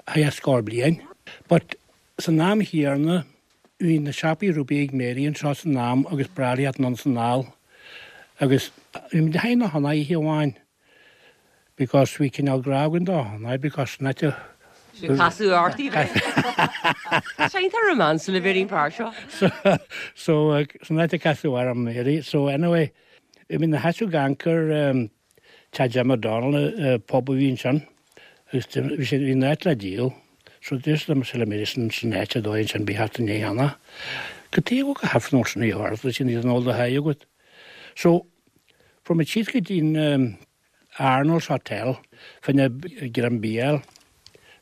thar scór bliain. But san am chéanna bhí na siopaí ruby ag Mary anseo san am agus ba bhreá léi teacht anonn is anall agus bhí muid ag na hionadaithe oíche amháin because bhí cineál grá againn do Hanoi because an áit a Sin casadh ort í bheith. Tá iontach rómánsúil a bheith ar an bhfear seo. So so san áit a casadh orm Mary so anyway bhí muid ina sheasamh ag amharc ar Teach Jim O'Donnell pub a bhí ansin agus bhí sé bhí an áit le díol so dúirt liom le Mary sin san áit a dóigh ansin bhí thart i ndiaidh cheana. Cad tuige go gcaithfear nó sin a dheartha sin iad an ól do haghaidh agat. So Fuair muid síos go dtí an Arnold's Hotel fá choinne greim bia a fháil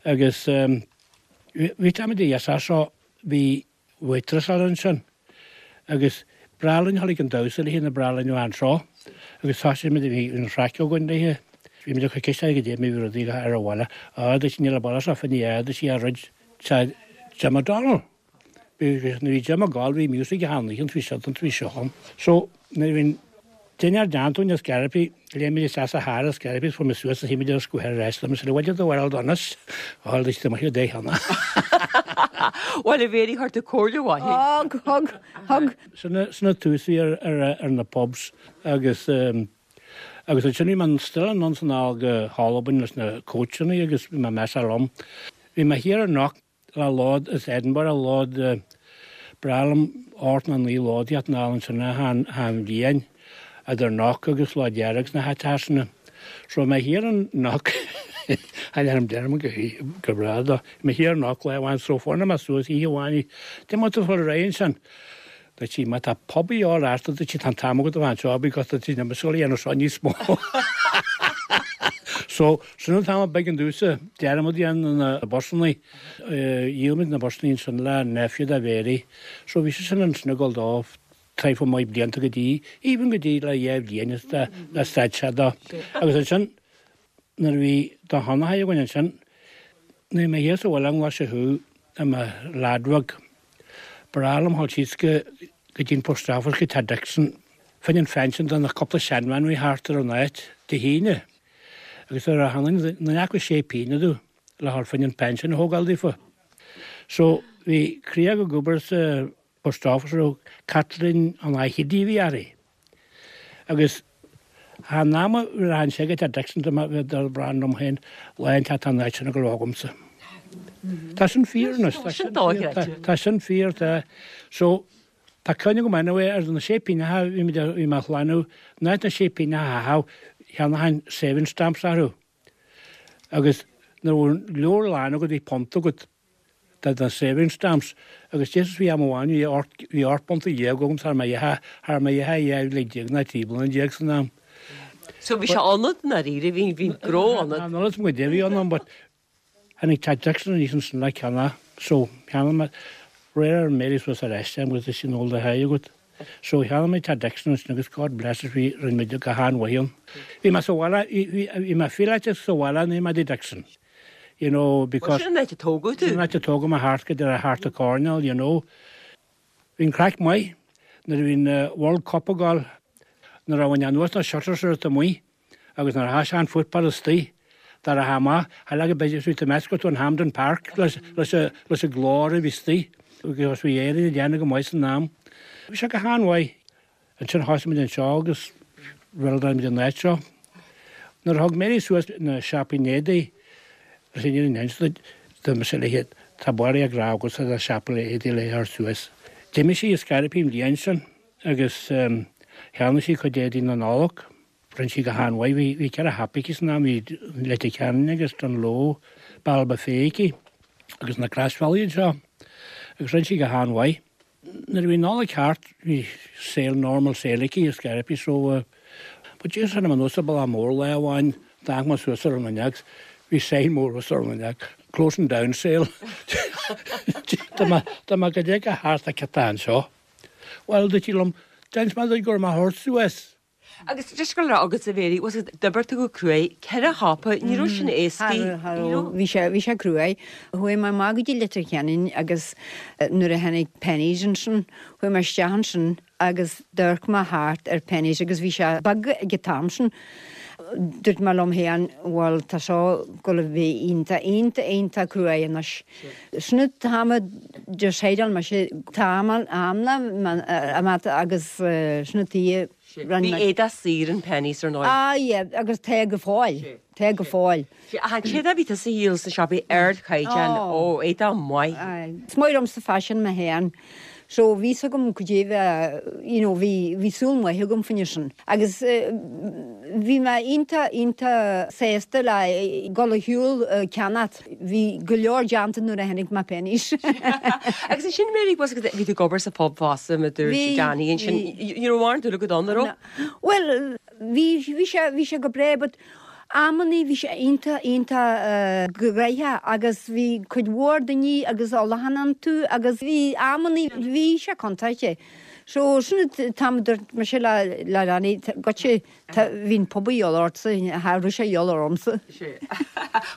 agus bhí táimid a fhios as seo bhí waitress ansin agus b'bhreá linn a dhul ag an damhsa léi nuair ba bhreá linn a bheith anseo agus thosaigh muid bhí an chraic againn léi. Bhí muid ag cur ceist uirthi goidé mar a bhí rudaí ar an bhaile. Á, dúirt sí níl an baile seo fá choinne dúirt sí a rud Jim O'Donnell. Nuair a bhí Jim ag gabháil bhí music achan oíche bhí siad an bhí seo ann. So nuair a bhí an dinnéar déanta againn as Garippi, léim muid isteach sa charr as Garippi is fuair muid suas is shuigh muid ar an scooter ar ais liom is bhfuil do bharúil donas? Bhuel dúirt siad amuigh dé cheana. Bhuel a Mhéirí chuir tú comhairle mhaith. Thug, thug, thug. Sin an tús a bhí ar na pubs agus agus ansin bhí mé still anonn is anall go hAlbain leis na coachannaí agus bhí mé ag messáil liom. Bhí mé thiar i Knock Le lód as Edinburgh, lód breá liom 8 nó 9 lód a theacht anall ansin achan bhliain, idir Knock agus Loch Dearg sna háiteacha sin. So bhí mé thiar in Knock, tháinig deirim go go breá dó, bhí mé thiar in Knock lá amháin so fuair mé suas oíche amháin, dé mar tú fuair ar aghaidh ansin. Dúirt sí, má tá pub a dhíobháil ort, dúirt sí, tá an t-am agat a bheith anseo because dúirt sí, níl mise ag dul a dhéanamh seo níos mó. So, sin an t-am a b'éigean domhsa dearmad a dhéanamh na busannaí. Dhíol muid na busannaí ansin le nephew de Mhéirí. So bhí sé sin ansin ag dul dó traidhfil maith blianta go dtí, even go dtí le dhá bhliain is le stad sé dó. Agus ansin nuair a bhí do sheanathair againn ansin, nuair a bhí mé thíos sa bhaile an lá seo thú i mo leaid bheag, Ba bhreá liom dhul síos go dtí an post office go Teach Dixon fá choinne an phension do na cúpla seanbhean a bhí thart ar an áit Dé hAoine agus nuair a tháinig na acu sé pínne domh le dhul fá choinne an pension a thógáil daofa. So bhí criag ag obair sa post office a raibh Kathleen an Hickey a bhí uirthi. Agus thar am a raibh sé ag Teach Dixon do bheith dul brand liom féin lá inteacht tá an áit sin ag dul agamsa. Tá sin fíor anois, tá sin fíor, tá sin fíor, tá. So, tá cuimhne agam anyway ar na sé pínneacha bhí muid bhí mé a shlánú, in áit na sé pínneacha a chaitheamh, cheannóchainn saving stamps orthu. Agus nuair a bhí an leabhar lán agat bhí punt agat. De na saving stamps agus Jesus bhí am amháin bhí 18 bhí 18 bpunta agam thar mé dheacha thar mé dheacha 12 bhliain ná 13 bliana san am. So bhí sé ionat i ndáiríre bhí bhí gnó ionat. An ionat mo de bhí ionam but tháinig Teach Dixon aníos ansin le ceannach so cheannaigh mé réir ar Mary suas ar ais agus sin ól do haghaidh agat. So cheannaigh muid teach Dixon ansin agus God bless us bhí, rinne muid go han-mhaith ann. Bhí mé sa bhaile, bhí, bhí mé fileáilte sa bhaile nuair a bhí mé i dtigh Dixon. You know, because. Sin an áit a tógadh tú? Sin an áit a tógadh mé thart go dtí thart an coirnéal, you know. Bhí an craic maith nuair a bhí an World Cup ag dul, nuair a bhain anuas na shutters ar amuigh agus nuair a thosaigh an football istigh, dar a amach, tharla go b'fhéidir tú meascadh tú an Hampden Park leis an glór a bhí istigh agus bhí Éirinn ag déanamh go maith san am. Bhí sé go han-mhaith. Ansin thosaigh muid anseo agus bhuild-áil muid an áit seo. Nuair a thug Mary suas na siopaí éadaí, is in an instid do mise léi, tá Barry ag rá agatsa tá siopa éadaí le cur suas. D'imigh sí i Scairpí an bhliain sin agus cheannaigh sí cuid éadaí na Nollag. Rinne sí go han-mhaith. Bhí bhí 4 shiopa aici san am, bhí Leitir Ceanainn agus Dungloe, Bealach Féich aici agus na Croisbhealaí anseo agus rinne sí go han-mhaith. Nuair a bhí Nollaig thart bhí saol normal saol aici i Scairpí so but just tháinig mé anuas an bealach mór lá amháin d'amharc mé suas ar an fhuinneog bhí sign mór suas ar an fhuinneog closing down sale Tá mé tá mé go dtig thart ag cad tá anseo. Bhuel dúirt sí liom d'inis mé duit go raibh mé a thabhairt suas. Agus just go raibh agatsa a Mhéirí, was it, d'oibir tú go cruaidh, 4 shiopa, ní raibh sin éasca, Cha raibh, bhí sé, bhí sé cruaidh. Chuaigh mé amach go dtí Leitir Ceanainn agus nuair a tháinig Penneys ansin, chuaigh mé isteach ansin agus d'amharc mé thart ar Penneys agus bhí sé beag ag an t-am sin. Dúirt mé liom féin, bhuel tá seo ag gabháil a bheith iontach, iontach, iontach cruaidh anois. Sin an t-am a decideáil mise, t-am am agus sin an tuige rinne mé. Bhí éadach saor in Penneys ar ndóigh. Ah yeah, agus tá go fóill, tá go fóill. Ach an t-éadach a bhí tusa a dhíol sna siopaí ardchaighdeán, ó, éadach maith. Is maith liomsa faisean mé féin. So bhí 's agam cad é bheith, you know, bhí, bhí súil maith agam faoina sin. Agus bhí mé iontach, iontach sásta le dul ar shiúl ceannacht. Bhí go leor déanta nuair a tháinig mé Penneys. Agus ansin Mary, was bhí tú ag obair sa phub fosta, mar a dúirt Bhí, Danny ansin, bhí. you know, mórán dúil agat ann, an raibh? Bhuel, bhí, bhí sé, bhí sé go breá but amannaí bhí sé iontach, iontach gnoitheach agus bhí cuid mhór daoine agus ólachán iontu agus bhí amannaí, bhí sé contúirteach. So sin an t-am a dúirt mise le, le Danny, goitse, tá, bhí an pub a dhíobháil ortsa, cha raibh sé a dhíobháil ormsa.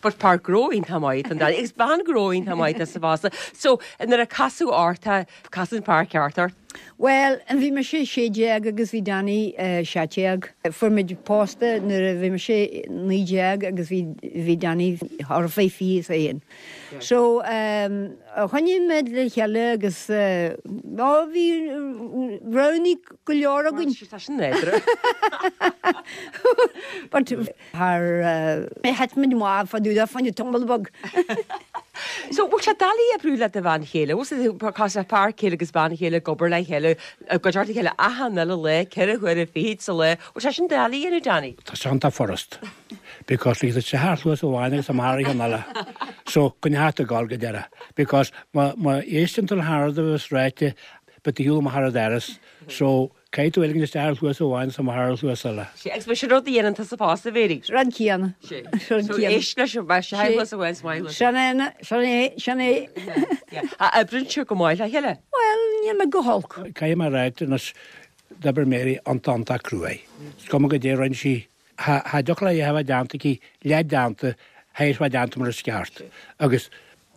But fear gnó iontach maith an Danny agus bean gnó iontach maith tusa fosta. So nuair a casadh ort, casadh an fear ceart ort. Bhuel, bhí mise 16 agus bhí Danny 17. Fuair muid pósta nuair a bhí mise 19 agus bhí bhí Danny thart fá 21. So, choinnigh muid le chéile agus ó bhí roghanna go leor againn. Tá sin nádúrtha. But Thar thit muid amach fá dtaobh de fá choinne tamall beag. So, bhfuil sé doiligh oibriú le do bhean chéile? Bhfuil sé fear céile agus bean chéile ag obair le chéile, i gcuideachta a chéile achan uile lá, 24 huaire sa lá. Bhfuil sé sin doiligh a dhéanamh, Danny? Tá sé iontach furast. Because like tá sé thar chluas amháin agus amach ar an eile. So, go neart ag gabháil go deireadh. Because má má éisteann tú le haon rud a bheas ráite, beidh tú ar shiúl amach ar an doras. So, Caithfidh tú éiligh isteach ar chluas amháin is amach ar an chluas eile. Sea, agus b'shin rud a dhéanann tusa fosta, a Mhéirí. Rud céanna. Sea. Rud céanna. Éist leis an bheith sé chluas amháin is amach chluas. Sin é, sin é, sin é. Ach oibríonn sibh go maith le chéile? Bhuel, níl mé go holc. Caithfidh mé a rá anois, d'oibir Mary iontach iontach cruaidh. Is cuma goidé a rinne sí, cha dtiocfadh léi a bheith déanta aici, leath déanta, théis bheith déanta mar is ceart. Agus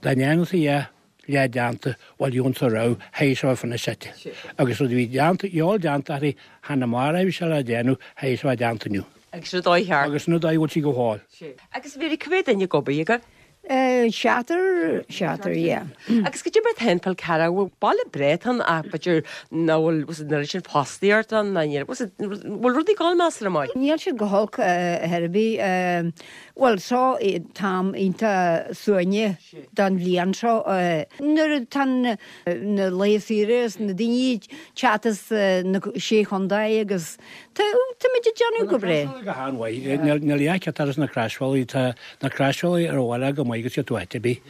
dá ndéanfaí é, leath déanta, bhuel dheonta a raibh, théis a bheith finisite. Agus rud a bhí déanta, eol déanta uirthi, chan amárach a bhí sé le déanamh, théis a bheith déanta inniu. Agus sin an dóigh cheart. Agus sin an dóigh a bhfuil sí go fóill. Agus Mhéirí, cá mhéad duine ag obair agaibh? Seachtar, seachtar, yeah. Agus goidé mar atá an Fál Carrach, bhuel baile breá atá ann ach b'fhéidir nach bhfuil, was it, an oiread sin fostaíocht ann, ná níl, was it, bhfuil rudaí ag gabháil measartha maith? Níl siad go holc ar chor ar bith. Bhuel, seo t-am iontach suaimhneach don bhliain seo. Nuair atá na laetha saoire is na daoine ag teacht as na sé chontae agus tá táimid ag déanamh go breá. Go han-mhaith. Níl a fhios agat na Croisbhealaí, tá na Croisbhealaí ar an bhaile go maith agus iad áit ar bith.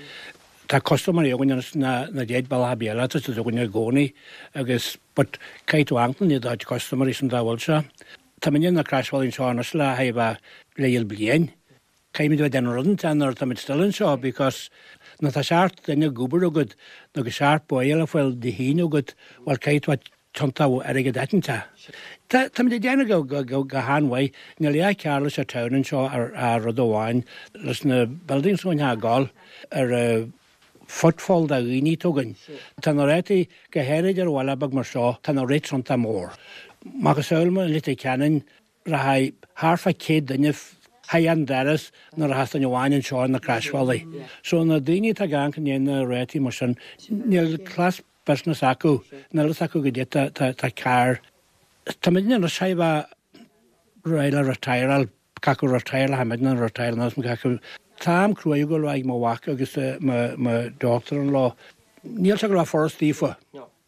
Tá custaiméirí againn anois na na dead bealach ar bith eile, tá siad againn i gcónaí agus but caithfidh tú amharc na dá custaiméirí sin dá bhfuil sé. Tá muidne na Croisbhealaí anseo anois le haghaidh leibhéal bliain. Caithfimid a bheith ag déanamh rud inteacht nuair atáimid still anseo because nuair atá seacht duine ag obair agat nó go seacht baill le fáil Dé hAoine agat, bhuel caithfidh tú a. tiontú airgead áiteanta. Tá, táimid ag déanamh go, go, go, go han-mhaith. Níl aon chearr leis an town anseo ar, ar rud amháin, leis na buildings a thógáil ar an footfall de dhaoine atá againn. Tá na rátaí, go háirid ar bhaile beag mar seo, tá na rates iontach mór. Macasamhail i Leitir Ceanainn, Rachaidh thart fá 100 duine thar an doras nuair a rachas duine amháin anseo ar na Croisbhealaí. So na daoine atá ag amharc i ndiaidh na rátaí mar sin, níl cleas business acu, níl fhios acu goidé tá cearr. Tá muidne anois chóir a bheith réidh le retireáil, cé acu retire le muidne nó retire anois, cé acu. Tá am cruaidh ag dul ag mo mhac agus mo daughter-in-law. Níl sé ag dul a bheith furast daofa.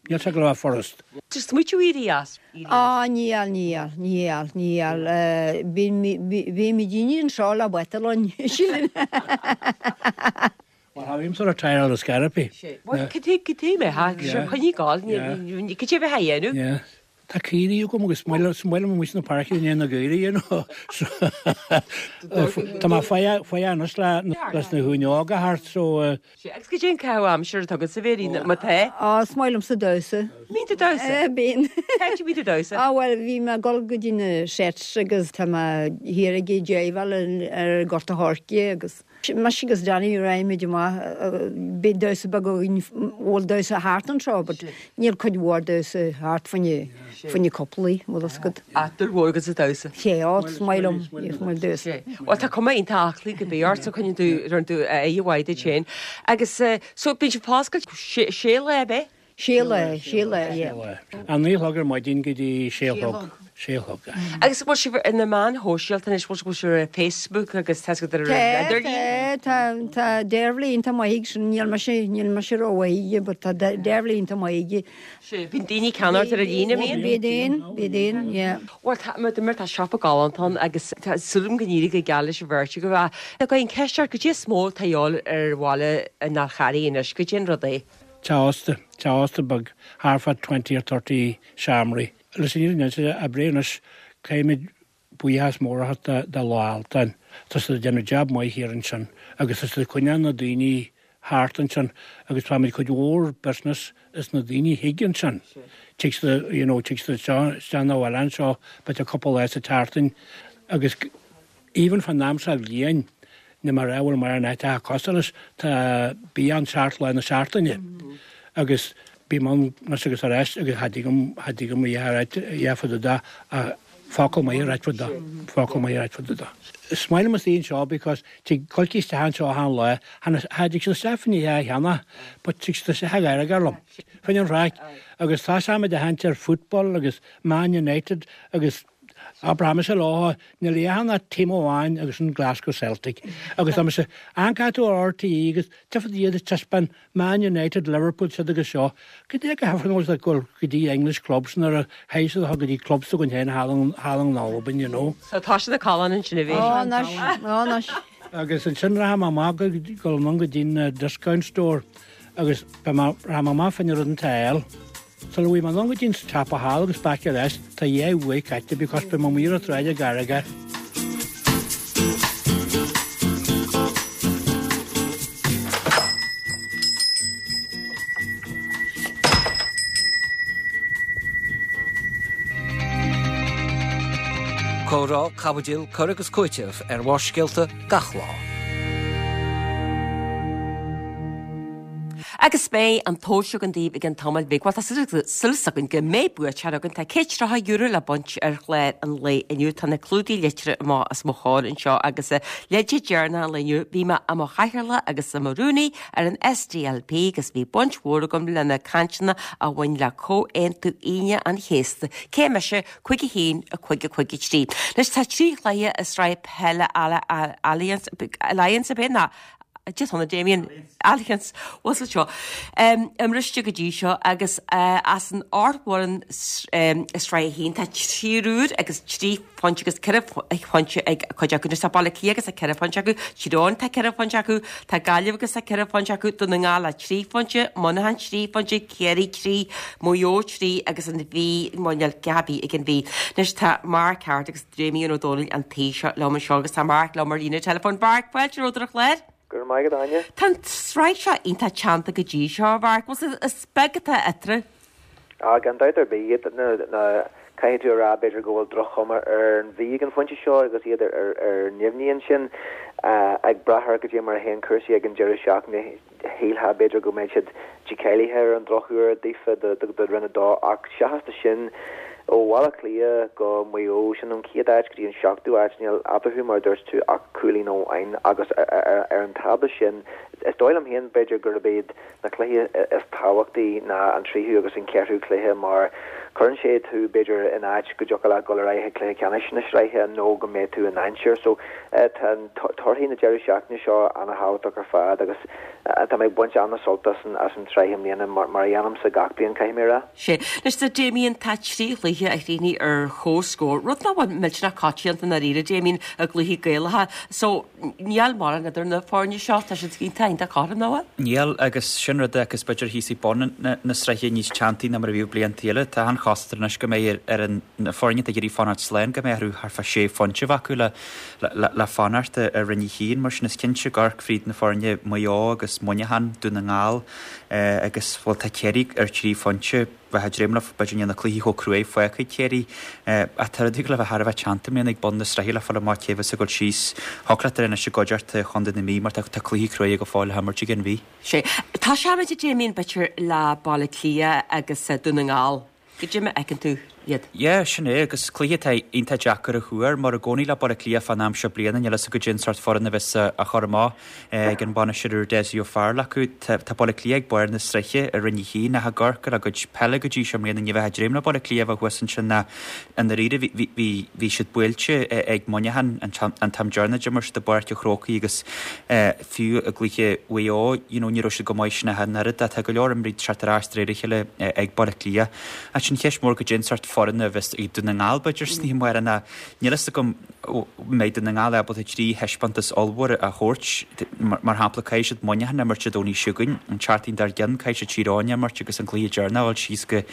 Níl sé ag dul a bheith furast. Just smaoitiú éirí as. Á, níl, níl, níl, níl. Bímidne anseo le bata linn, sílim. Bhuel, tha bhímsa retired ar scor ar bith. Bhuel, cad é mé, ha, sure, coinnigh ag gabháil, cad é a bheith á dhéanamh? Yeah. Tá caoirigh agam agus is maith liom amuigh sna páirceanna i ndiaidh na gcaoirigh, you know. Tá mé fágtha anois leis na huaineoga thart, so. Sea, agus cad é an caitheamh aimsire atá agatsa, a Mhéirí, má tá? Á, is maith liomsa damhsa. Mbíonn tú ag damhsa? Bíonn. Cá háit a mbíonn tú ag damhsa? Á, bhuel, bhí mé ag dul go dtí na sets agus tá mé thiar ag jiveáil ar Gort a' Choirce agus mise agus Danny raghaimid amach, bíonn damhsa beag againn, bhuel damhsa thart anseo but níl cuid mhór damhsa thart fá choinne, fá choinne cúplaí, bhfuil fhios agat. Ah, dúil mhór agat sa damhsa. Sea, á, is maith liom, is maith liom damhsa. Sea. Bhuel, tá cuma iontach aclaí go bith ort, so coinníonn tú, rinn tú aghaidh mhaith duit féin. Agus, so, bíonn sibh foscailte sé lá, ab é? Sé lá, sé lá, yeah. A 9 a chlog ar maidin go dtí sé a chlog, sé a chlog. Agus bhfuil sibh ar na meáin shóisialta anois, bhfuil sibh ar Facebook agus tá sibh ar an idirlíon? Tá, tá, tá Deirbhile iontach maith aige sin, níl mise, níl mise rómhaith aige, but tá Deirbhile iontach maith aige. Sea, bíonn daoine ag ceannacht ar an líne, an mbíonn? Bíonn, bíonn, yeah. Bhuel, tá, mar dúirt mé, tá siopa galánta ann agus tá súil agam go n-éireoidh go geal leis an bheirt agaibh. Ach tá an cheist ort, goidé is mó atá a dhíobháil ar bhaile an Fhál Charraigh anois, goidé an rud é? Teach ósta, teach ósta beag, thart fá twenty or thirty seomraí. Leis an fhírinne a inse, oibrigh anois, caithfimid buíochas mór a thabhairt do Loch Altáin. Tá siad ag déanamh jab maith thiar ansin agus tá siad ag coinneáil na daoine thart ansin agus faighimid cuid mhór business as na daoine thig ansin. Tig siad, you know, tig siad isteach 'na bhaile anseo b'fhéidir cúpla lá sa tseachtain agus even fán am seo bhliain ní mar a bhfuil mar an áit atá cosúil leis, tá bia ann seacht lá na seachtaine agus bím ann anois agus arís agus cha dtig liom, cha dtig liom a ráit a dhath fá dtaobh de ach focal maith a ráit fá dtaobh de, focal maith a ráit fá dtaobh de. Is maith liom istigh anseo because tig coicís isteach anseo achan lá, cha dtig siad isteach fá choinne a cheannach but tig siad isteach ag gáire liom fá choinne an chraic agus tá muid ag caint ar football agus Man United agus Abraimis leo, níl aon ach team amháin agus sin Glasgow Celtic. Agus tá mise, amharcann tú ar RTÉ agus tchífidh iad ag taispeáint Man United, Liverpool, siad agus seo. Goidé go hifreann bhfuil siad ag dul go dtí English clubs nuair a théid siad go dtí clubs s'againn féin thall in Albain, you know. So tá siad ag callán ansin a bhí. Ó, anois, ó, anois. Agus ansin rachaidh mé amach go dul anonn go dtí an discount store agus beidh mé, rachaidh mé amach fá choinne rud inteacht a fháil. Sula bhfuil mé anonn go dtí an siopa thall agus back ar ais, tá dhá uair caite because beidh mé amuigh ar an tsráid ag gáire. Comhrá, caibidil, cur agus cúiteamh ar Bharrscéalta gach lá. Agus beidh an tomhas againn daoibh i gcionn tamaill bhig. Bhuel, tá súil againn go mbeidh buaiteoir againn. Tá €130 le baint ar chlár an lae inniu. Tá na clúdaigh litreach amach os mo chomhair anseo agus leide deireanach an lae inniu, bhí mé i mo chathaoirleach agus i mo rúnaí ar an SDLP agus bhí baint mhór agam le na cainteanna a bhain le Comhaontú Aoine an Chéasta. Cé mise? 5 1 5 5 3. Anois tá 3 chluiche i sraith peile Allianz, Allianz ab é? Ná Dia dona Damien Allianz bhfuil sa seo imriste go dtí seo agus as an ocht bhfoireann i sraith 1 tá triúr agus 3 phointe agus 4 phointe ag cuid acu. Anois tá Baile Átha Cliath agus tá 4 phointe acu, Tír Eoghain tá 4 phointe acu, tá Gaillimh agus tá 4 phointe acu, Dún na nGall le 3 phointe, Muineachán 3 phointe, Ciarraí 3, Maigh Eo 3 agus an Mhí, níl a dhath ar bith ag an Mhí. Anois tá Mark Harte agus Damien Ó Dónaill an taobh seo liom anseo agus tá Mark liom ar líne teileafóin. Mark, fáilte romhat ar an chlár. Go raibh maith agat, Áine. Tá an tsraith seo iontach teannta go dtí seo, a Mhark. Bhuel, is beag atá eatarthu. Ah, gan dabht ar bith, caithfidh tú a rá b'fhéidir go bhfuil droch-chuma ar an Mhí ag an phointe seo agus iad ar neamhní ansin. Ag brath ar goidé mar a théann cúrsaí ag an deireadh seachtaine, shílfeá b'fhéidir go mbeidh siad dícháilithe ar an drochuair daofa do Roinn 2 ach seachas de sin, ó Bhaile Átha Cliath go Maigh Eo, sin ón chéad áit go dtí an seachtú áit, níl eatarthu mar a dúirt tú ach cúilín amháin agus ar an tábla sin, is dóigh liom féin b'fhéidir gurb iad Na cluichí is tábhachtaí ná an tríú agus an ceathrú cluiche mar cuireann sé tú b'fhéidir in áit go dtiocfadh leat dul ar aghaidh chuig cluiche ceannais na sraithe nó go mbeidh tú i ndainséar. So tá torthaí na deireadh seachtaine seo ana-thábhachtach ar fad agus tá mé ag baint ana-sult as an tsraith i mbliana mar a dhéanaimse gach bliain caithfidh mé a rá. Sea. Anois a Damien, tá 3 chluiche a chríochnaigh ar comhscór, rud nach bhfuil millteanach coitianta i ndáiríre, Damien, i gcluichí Gaelacha. So, Níl mórán idir na foirne seo, tá siad iontach iontach cothrom, nach bhfuil? Níl, agus sin rud é agus b'fhéidir thíos ag bun na sraithe níos teanntaí ná mar a bhíodh blianta eile. Tá an chosúlacht anois go mbeidh ar na foirne atá ag iarraidh fanacht slán go mbeidh orthu thart fá sé phointe a bheith acu le fanacht i Roinn 1. Mar sin is cinnte ag amharc fríd na foirne Maigh Eo agus Muineachán, Dún na nGall agus bhuel tá Ciarraí ar thrí phointe. bheith ag dréim leo, b'fhéidir níl na cluichí chomh cruaidh fágtha ag Ciarraí. Ach tá rudaí ag dul a bheith thar a bheith teannta i mbliana ag bun na sraithe le fáil amach cé bheas ag dul síos. Thiocfadh leat a rá anois i gcuideachta Chontae na Mí mar tá cluichí cruaidh go fóill le himirt ag an Mhí. Sea. Tosóimid a Damien b'fhéidir le Baile Átha Cliath agus Dún na nGall. Goidé mar a fheiceann tú iad? Yeah, sin é, agus cluiche atá iontach deacair a thuar, mar i gcónaí le Baile Átha Cliath fán am seo bliana, níl fhios agat goidé an sórt foireann a bheas á chur amach ag an bhainisteoir úr Dessie O'Farrell acu. Tá Baile Átha Cliath ag barr na sraithe i Roinn 1 ach ag amharc ar a gcuid peile go dtí seo i mbliana ní bheifeá ag dréim le Baile Átha Cliath a bheith thuas ansin ná i ndáiríre bhí siad buailte ag Muineachán an t-am deireanach a d'imir siad i bPáirc an Chrócaigh agus fiú i gcluiche Mhaigh Eo you know ní raibh siad chomh maith sin ach an oiread. Tá go leor imreoirí ag teacht ar ais de réir a chéile ag Baile Átha Cliath. Ach sin cheist mhór goidé an sórt foireann a bheas ag Dún na nGall b'fhéidir san oíche amárach ná níl fhios agam an mbeidh Dún na nGall ábalta 3 thaispeántas ollmhór a thabhairt. Mar shampla caithfidh siad Muineachán a imirt Dé Domhnaigh seo chugainn, an tseachtain dár gcionn caithfidh siad Tír Eoghain a imirt agus an cluiche deireanach a dhul síos go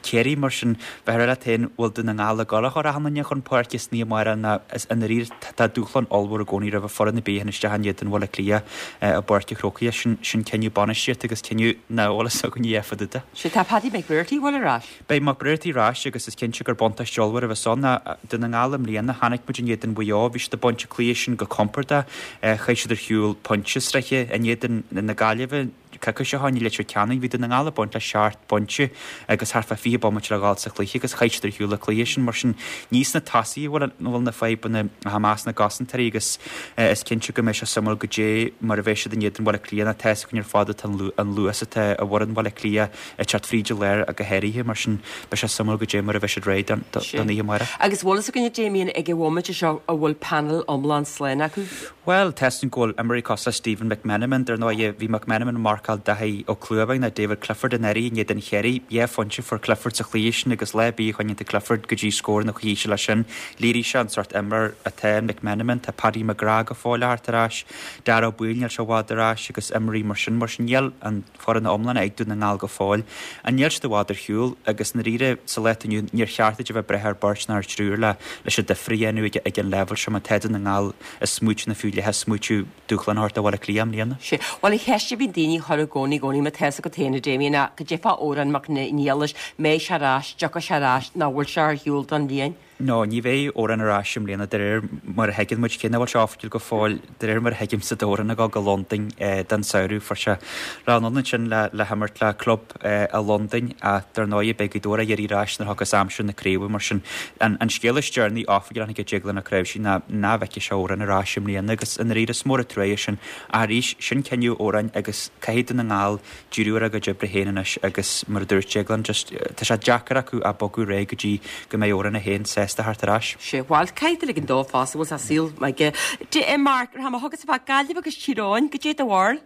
Ciarraí. Mar sin bheifeá ag rá leat féin bhfuil Dún na Ngall ag dul a chur achan duine chun páirce san oíche amárach ná i ndáiríre tá dúshlán ollmhór i gcónaí roimh foireann ar bith a théann isteach in éadan Bhaile Átha Cliath i bPáirc an Chrócaigh. Sin sin cinneadh bainistíochta agus cinneadh nach bhfuil fhios againn a dhéanfadh Duda. Sea, tá Paddy McBrearty bhfuil ar ais. Beidh McBrearty ar ais agus is cinnte gur buntáiste ollmhór a bheas ann. Dún na nGall i mbliana, chonaic muid in éadan Mhaigh Eo, bhí siad ag baint an cluiche sin go compordach. Chaith siad ar shiúl pointe sraithe in éadan na Gaillimhe coicís ó shin i Leitir Ceanainn. Bhí Dún na nGall ag baint le seacht bpointe agus thart fá 20 bomaite le dhul sa chluiche agus chaith siad ar shiúl an cluiche sin. Mar sin, ní sna tosaithe a bhfuil na fadhbanna ach i measc na gcosantóirí agus is cinnte go mbeidh sé suimiúil goidé mar a bheidh siad in éadan Bhaile Átha Cliath. Tá a fhios againn ar fad atá an luas atá i bhfoireann Bhaile Átha Cliath ag teacht fríd an lár go háirithe, mar sin beidh sé suimiúil goidé mar a bheidh siad réidh don oíche amárach. Agus bhfuil fhios againn a Damien ag an bhomaite seo an bhfuil panel iomlán slán acu? Bhuel, tá fhios againn go bhfuil imreoirí cosúil le Stephen McMenamin, dar ndóighe, bhí McMenamin ag marcáil Daithí Ó Clúmháin nó David Clifford in áirithe in éadan Chiarraí. Dhá phointe a fuair Clifford sa chluiche sin agus lá ar bith a choinníonn tú Clifford go dtí scór nó chaithfidh sé leis sin. Léirigh sé an sórt imreoir atá in McMenamin. Tá Paddy McGrath go fóill a theacht ar ais, Daire Ó Baoill níl sé i bhfad ar ais agus imreoirí mar sin. Mar sin níl an foireann iomlán ag Dún na nGall go fóill. Ach níl siad i bhfad ar shiúl agus i ndáiríre sa lá atá inniu níor cheart duit a bheith ag brath ar bheirt ná ar thriúr le leis an difear a dhéanamh ag ag an leibhéal seo má tá Dún na nGall ag smaoitiú nó fiú leath ag smaoitiú dúshlán a thabhairt do Bhaile Átha Cliath i mbliana. Sea. Bhuel an cheist a bhíonn daoine a chur i gcónaí i gcónaí má tá fhios agat féin a Damien ná goidé fá Odhrán Mac Niallais, mbeidh sé ar ais, dtiocfaidh sé ar ais, nó bhfuil sé ar shiúl don bhliain? No, ní bheidh Odhrán ar ais i mbliana de réir mar a thuigeann muid, cé nach bhfuil sé oifigiúil go fóill, de réir mar a thuigimse tá Odhrán ag dul go Londain don samhradh. Fuair sé rogha anonn ansin le le himirt le club i Londain ach dar ndóigh beidh Gaoth Dobhair á iarraidh ar ais nuair a thiocfas aimsir na craoibhe mar sin an an scéal is deireanaí oifigiúil a tháinig ó Déaglán Ó Cnáimhsí ná nach bhfeicfidh sé Odhrán ar ais i mbliana agus i ndáiríre is mór an trua é sin ach arís sin cinneadh Odhráin agus caithfidh Dún na nGall díriú ar a gcuid oibre féin anois agus mar a dúirt Déaglán just tá sé deacair acu a bogadh ar aghaidh go dtí go mbeidh Odhrán é féin sásta theacht ar ais. Sea, bhuel, caithfidh tú ligean dó fosta, bhfuil sa saol aige. D, Mark, ar tháinig thugas fá Gaillimh agus Tír Eoghain, goidé do bharúil?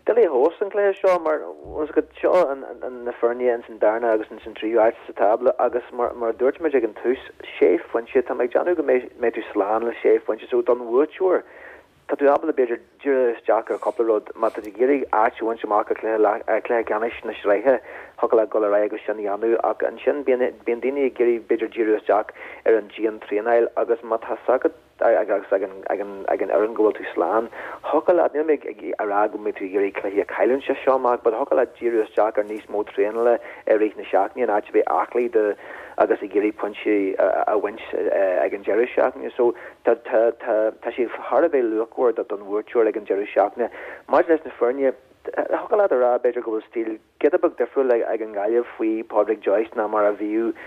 Doiligh a thomhas an cluiche seo mar seo na foirne ins an darna agus ins an tríú áit sa tábla agus mar a dúirt muid ag an tús, sé phointe, tá mé ag déanamh go mbeidh tú slán le sé phointe so don bhuaiteoir. Tá tú ábalta b'fhéidir díriú isteach ar chúpla rud. Má tá tú ag iarraidh áit a bhaint amach i gcluiche ceannais na sraithe, thiocfadh leat dul ar aghaidh agus sin a dhéanamh ach ansin bíonn bíonn daoine ag iarraidh b'fhéidir díriú isteach ar an dian-traenáil agus má tá 's agat agus ag an ag an ag an fhoireann go bhfuil tú slán, thiocfadh leat, níl mé ag a rá go mbeidh tú ag iarraidh cluichí a chailliúint as seo amach but thiocfadh leat díriú isteach ar níos mó traenála i rith na seachtaine in áit a bheith aclaí do agus ag iarraidh pointí a bhaint ag an deireadh seachtaine. So Tá, tá, tá, tá sé thar a bheith luachmhar do, don bhuaiteoir ag an deireadh seachtaine. Maidir leis na foirne, thiocfadh leat a rá, b'fhéidir, go bhfuil stíl giota beag difriúil ag, ag an nGaillimh faoi Pádraic Joyce ná mar a bhíodh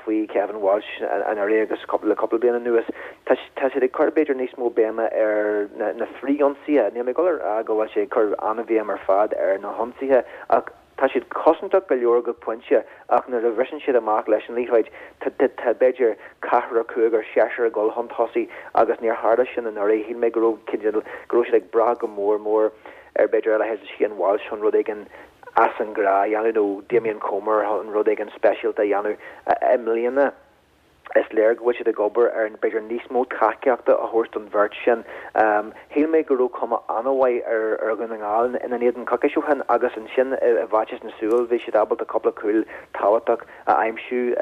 faoi Kevin Walsh anuraidh agus cúpla, le cúpla bliain anuas. Tá, tá siad ag cur, b'fhéidir, níos mó béime ar na, na frithionsaithe. Níl mé ag dul a rá go bhfuil sé ag cur an-bhéim ar fad ar na hionsaithe ach, Tá siad cosantach go leor go pointe ach nuair a bhriseann siad amach leis an liathróid, tá, b'fhéidir, ceathrar, cúigear, seisear ag dul chun tosaigh agus níor tharla sin anuraidh. Shíl mé go raibh cineál, go raibh siad ag brath go mór mór ar b'fhéidir a leithéid de Shane Walsh chun rud éigin as an ngnáth a dhéanamh nó Damien Comer chun rud éigin speisialta a dhéanamh. I mbliana, Is léir go bhfuil siad ag obair ar b'fhéidir níos mó tacaíochta a thabhairt don bheirt sin. Shíl mé go raibh cuma an-mhaith ar Dhún na nGall ina n-éadan coicís ó shin agus ansin i bhfaitíos na súl bhí siad ábalta cúpla cúl tábhachtach a aimsiú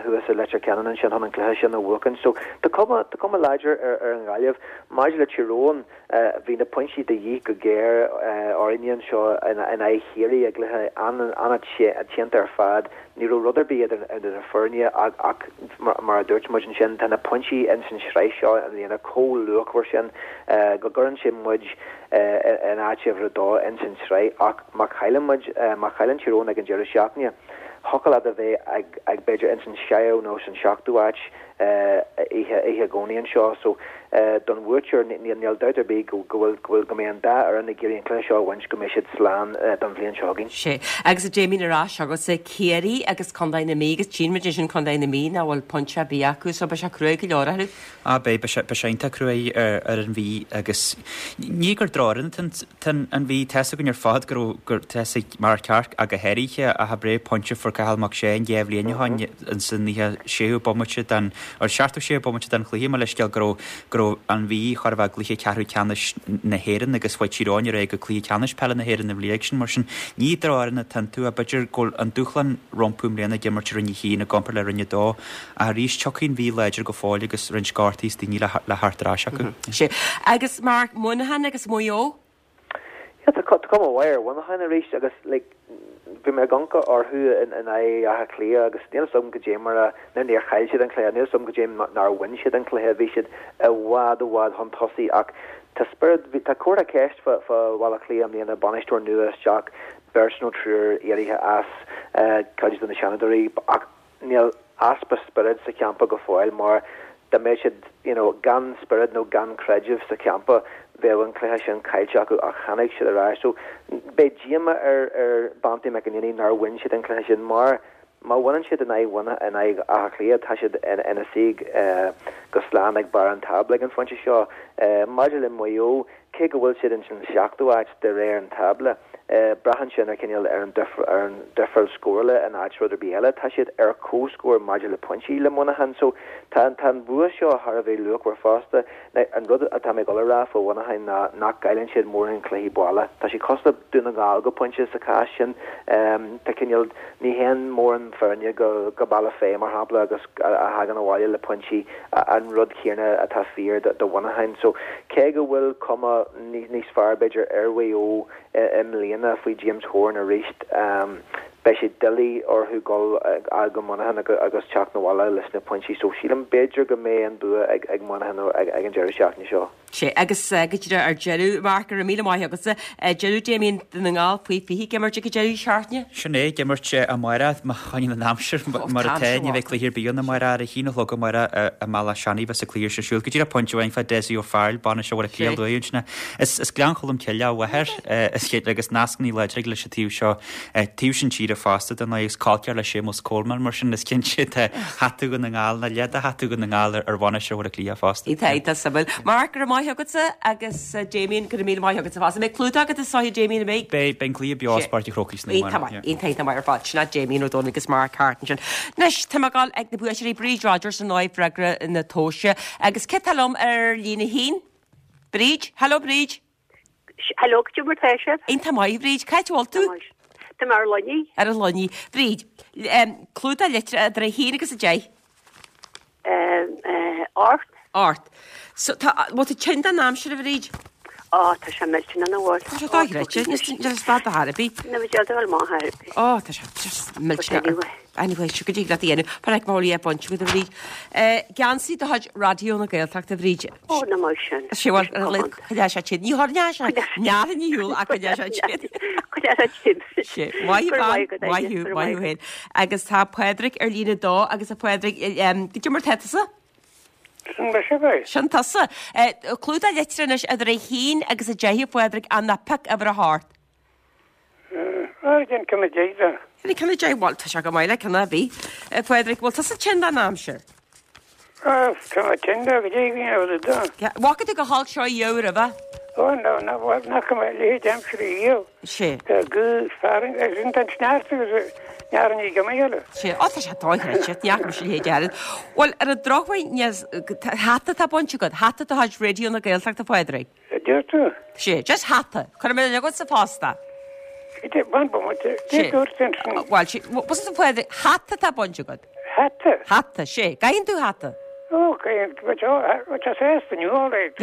thuas i Leitir Ceanainn ansin chun an cluiche sin a bhuachan. So tá cuma, tá cuma láidir ar an Ghaillimh. Maidir le Tír Eoghain, bhí na pointí de dhíth go géar orainne anseo in aghaidh Chiarraí i gcluiche an-teannta ar fad. Ní raibh rud ar bith idir na foirne ach mar a dúirt muid ansin, tá na pointí ins an sraith seo i mbliana chomh luachmhar sin go gcuireann sé muid in áit uimhir a dó ins an tsraith ach má chailleann muid, má chailleann Tír Eoghain ag an deireadh seachtaine, thiocfadh leat a bheith ag b'fhéidir ins an séú nó san seachtú áit oíche oíche Dhomhnaigh anseo. So don bhuaiteoir níl dabht ar bith go bhfuil go bhfuil go mbeidh an dá fhoireann ag iarraidh an cluiche seo a bhaint go mbeidh siad slán don bhliain seo chugainn. Sea. Agus a Damien ar ais agatsa, Ciarraí agus Contae na Mí agus tchíonn muid ansin Contae na Mí nach bhfuil pointe ar bith acu so beidh sé cruaidh go leor orthu. Á beidh, beidh sé, beidh sé iontach cruaidh ar ar an Mhí agus ní gur drochfhoireann atá an Mhí, tá 'fhios againn ar fad go raibh gur tá 'fhios ag Mark Clarke ach go háirithe ach ab é pointe a fuair Cathal Mac Séaghain 2 bhliain ó shin ins an 96ú bomaite den, or 76ú bomaite den chluiche, mo leithscéal, go raibh, go raibh an Mhí chóir a bheith i gcluiche ceathrú ceannais na hÉireann agus chuaigh Tír Eoghain ar aghaidh go cluiche ceannais peile na hÉireann an bhliain sin. Mar sin, ní drochfhoireann atá iontu ach b'fhéidir go bhfuil an dúshlán rompu i mbliana ag imirt i Roinn 1 i gcomparáid le Roinn 2 ach arís tiocfaidh an Mhí láidir go fóill agus roinnt gortaithe is daoine le le theacht ar ais acu. Sea. Agus Mark, Muineachán agus Maigh Eo? Yeah, tá cuma mhaith ar Mhuineachán arís agus like bhí mé ag amharc orthu in aghaidh Átha Cliath agus níl 'fhios agam goidé mar a, nó níor chaill siad an cluiche, níl 'fhios agam goidé nár bhain siad an cluiche, bhí siad i bhfad i bhfad chun tosaigh ach tá spiorad, bhí, tá comhartha ceist fá fá Bhaile Átha Cliath i mbliana, bainisteoir nua isteach, beirt nó triúr éirithe as, cuid de na seanadóirí ach Níl easpa spioraid sa champa go fóill mar dá mbeadh siad you know gan spiorad nó gan creideamh sa champa bheadh an cluiche sin caillte acu ach tháinig siad ar ais. So beidh díoma ar ar Banty McEnaney nár bhain siad an cluiche sin mar má bhaineann siad in aghaidh in aghaidh Átha Cliath tá siad ina suí go slán ag barr an tábla ag an phointe seo. Maidir le Maigh Eo Cé go bhfuil siad ins an seachtú áit de réir an tábla, braitheann sin ar chineál ar an ar an difreáil scórála in áit rud ar bith eile. Tá siad ar comhscór maidir le pointí le Muineachán so tá tá an bua seo thar a bheith luachmhar fosta. Now an rud atá mé ag dul a rá fá Mhuineachán ná nach gcailleann siad mórán cluichí baile. Tá siad cosúil le Dún na nGall go pointe sa chás sin. Tá cineál ní théann mórán foirne go go Bealach Féich mar shampla agus a thagann abhaile le pointí. An rud céanna atá fíor do Mhuineachán. So, cé go bhfuil cuma níos fearr, b'fhéidir, ar Mhaigh Eo i mbliana faoi James Horan arís, beidh sé doiligh orthu dul go Muineachán agus teacht 'na bhaile leis na pointí. So, sílim, b'fhéidir go mbeidh an bua ag Muineachán ag an deireadh seachtaine seo. Sea, agus go díreach ar deireadh, Mark, go raibh míle maith agatsa. Deireadh Damien Dún na nGall faoi 20 ag imirt ag an deireadh seachtaine. Sin é, ag imirt amárach, má choinníonn an aimsir mar atá, ní bheidh cluiche ar bith ann amárach. Ar a haon a chlog amárach i mBealach Seanaidh bheas an cluiche sin ar siúl. Go díreach pointe amháin fá Dessie O'Farrell, bainisteoir Bhaile Átha Cliath luath ansin. Is Gleann Cholm Cille a mháthair, is cinnte, agus nascanna láidre aige leis an taobh seo, taobh sin tíre fosta, dar ndóigh, agus col ceathar le Séamus Coleman, mar sin is cinnte tá hata Dhún na nGall, nó leath de hata Dhún na nGall ar bhainisteoir Bhaile Átha Cliath fosta. Tá, tá suimiúil. Mark, go raibh maith agatsa agus Damien, go raibh míle maith agatsa fosta. An mbeidh clúdach agat is dóiche, Damien, an mbeidh? Beidh, beidh an cluiche beo as Páirc an Chrócaigh san Iontach maith, iontach, iontach maith ar fad. Sin é Damien Ó Dónaill agus Mark Harte ansin. Anois, tá mé ag dul ag na buaiteoirí, Bríd Rodgers ar ndóigh, freagra na tomhaise. Agus cé tá liom ar líne a haon? Bríd, Hello Bríd. Hello, cad é mar tá sibh? Iontach maith, Bríd. Cá háit a bhfuil tú? Tá mé ar Luinnigh. Ar an Luinnigh. Bríd, clúdach litreacha idir a haon agus a deich. 8. 8. So, tá, bhfuil tú tinn den aimsir, a Bhríd? Á, tá sé millteanach nach bhfuil. Tá sé dochreidte, níl stad ar bith. Ní bheidh dul amach ar bith. Ó, tá sé just millteanach. Anyway, seo go dtig leat a dhéanamh. Par ag bhfuil é bainte agat, a Bhríd. Geansaí de chuid Raidió na Gaeltachta, a Bhríd. Ó, nach maith sin. Sé bhuel, coinneoidh sé tinn. Ní choinneoidh sé neamh ní shiúl ach coinneoidh sé tinn. Coinneoidh sé tinn. Sé, maith thú, bean, maith thú, maith thú féin. Agus tá Pádraig ar líne a dó agus a Phádraig, cad é mar tá tusa? Sin mise é. Sin tusa. Clúdach litreach anois idir a haon agus a deich a Phádraig ach ná pioc uimhir a hocht. Ar an ceann a deich de. Ar an ceann a deich, bhuel tá sé go maith le ceann ar bith. A Phádraig, bhfuil tusa tinn den aimsir? Tá mé tinn de go dtí go ndéanfaidh tú. Bhfaca tú chomh holc seo riamh roimhe? Ó no, ná nach mbeidh a leithéid aimsire riamh. Sé. Tá gaoth fearthainn agus an an sneachta agus nearn ní giomaí eile. Sé. Ó tá sé dochreidte, ní fhaca mise a leithéid oiread. Bhuel, ar an drochuair, hata atá bainte agat, hata de chuid Raidió na Gaeltachta, a Phádraig. A deir tú? Sé, just hata. Cuirfidh mé agat sa phost é. Sé, bain bomaite. Sé. Dúirt ansin. Bhuel, sé, bus a Phádraig, hata atá bainte agat. Hata? Hata, sé. Gcaitheann tú hata? Ó, caitheann, bhuel tá sásta inniu, all right.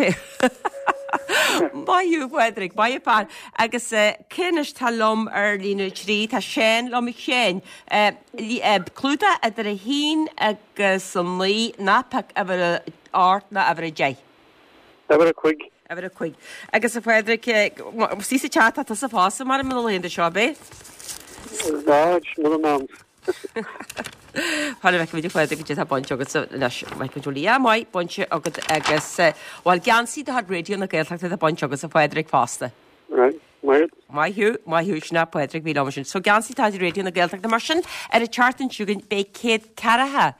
Maith thú, a Phádraig, maith an fear. Agus cé anois tá liom ar líne 3? Tá Seán liom. A Sheáin, clúdach idir a haon agus a naoi, ná pioc uimhir a hocht ná uimhir a deich. Uimhir a cúig. Uimhir a cúig. Agus a Phádraig, istigh sa teach tá tusa fosta mar na laethanta seo, ab é? Ná, mura n-am. Chuir a bhfeicfimid a Phádraig cad é atá bainte agatsa anois, Michael Jolie. Ah, maith, bainte agat agus, bhuel, geansaí de chuid Raidió na Gaeltachta atá bainte agatsa a Phádraig fosta. Right, maith. Maith thú, maith thú, sin é Pádraig bhí liom ansin. So geansaí de chuid Raidió na Gaeltachta, mar sin ar an tseachtain seo chugainn beidh €140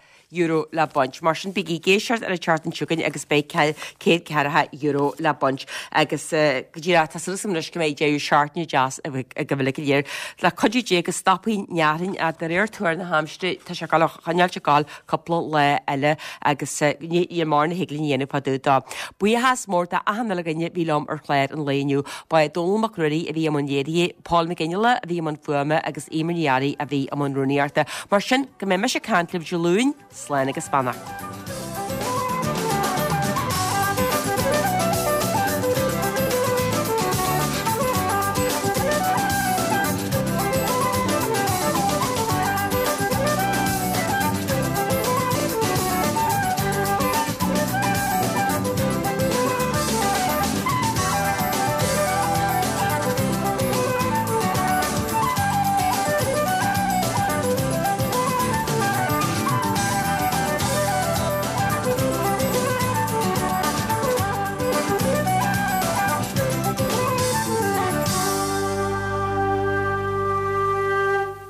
le baint. Mar sin bígí ag éisteacht ar an tseachtain seo chugainn agus beidh €140 le baint. Agus go díreach, tá súil agam anois go mbeidh deireadh seachtaine deas agaibh uilig go léir. Le cuidiú Dé go stopfaidh an fhearthainn ach de réir tuar na haimsire tá sé ag dul a choinneáilt ag gabháil cúpla lá eile agus níl mórán a thig linn a dhéanamh fá dtaobh dó. Buíochas mór d'achan uile dhuine a bhí liom ar chlár an lae inniu. Ba é Dónall Mac Ruairí a bhí i mbun léirithe, Paul McGinley a bhí i mbun fuaime agus Eimear Ní Fhearraigh a bhí i mbun rúnaíochta. Mar sin, go mbeidh mise ag caint libh Dé Luain, slán agus beannacht.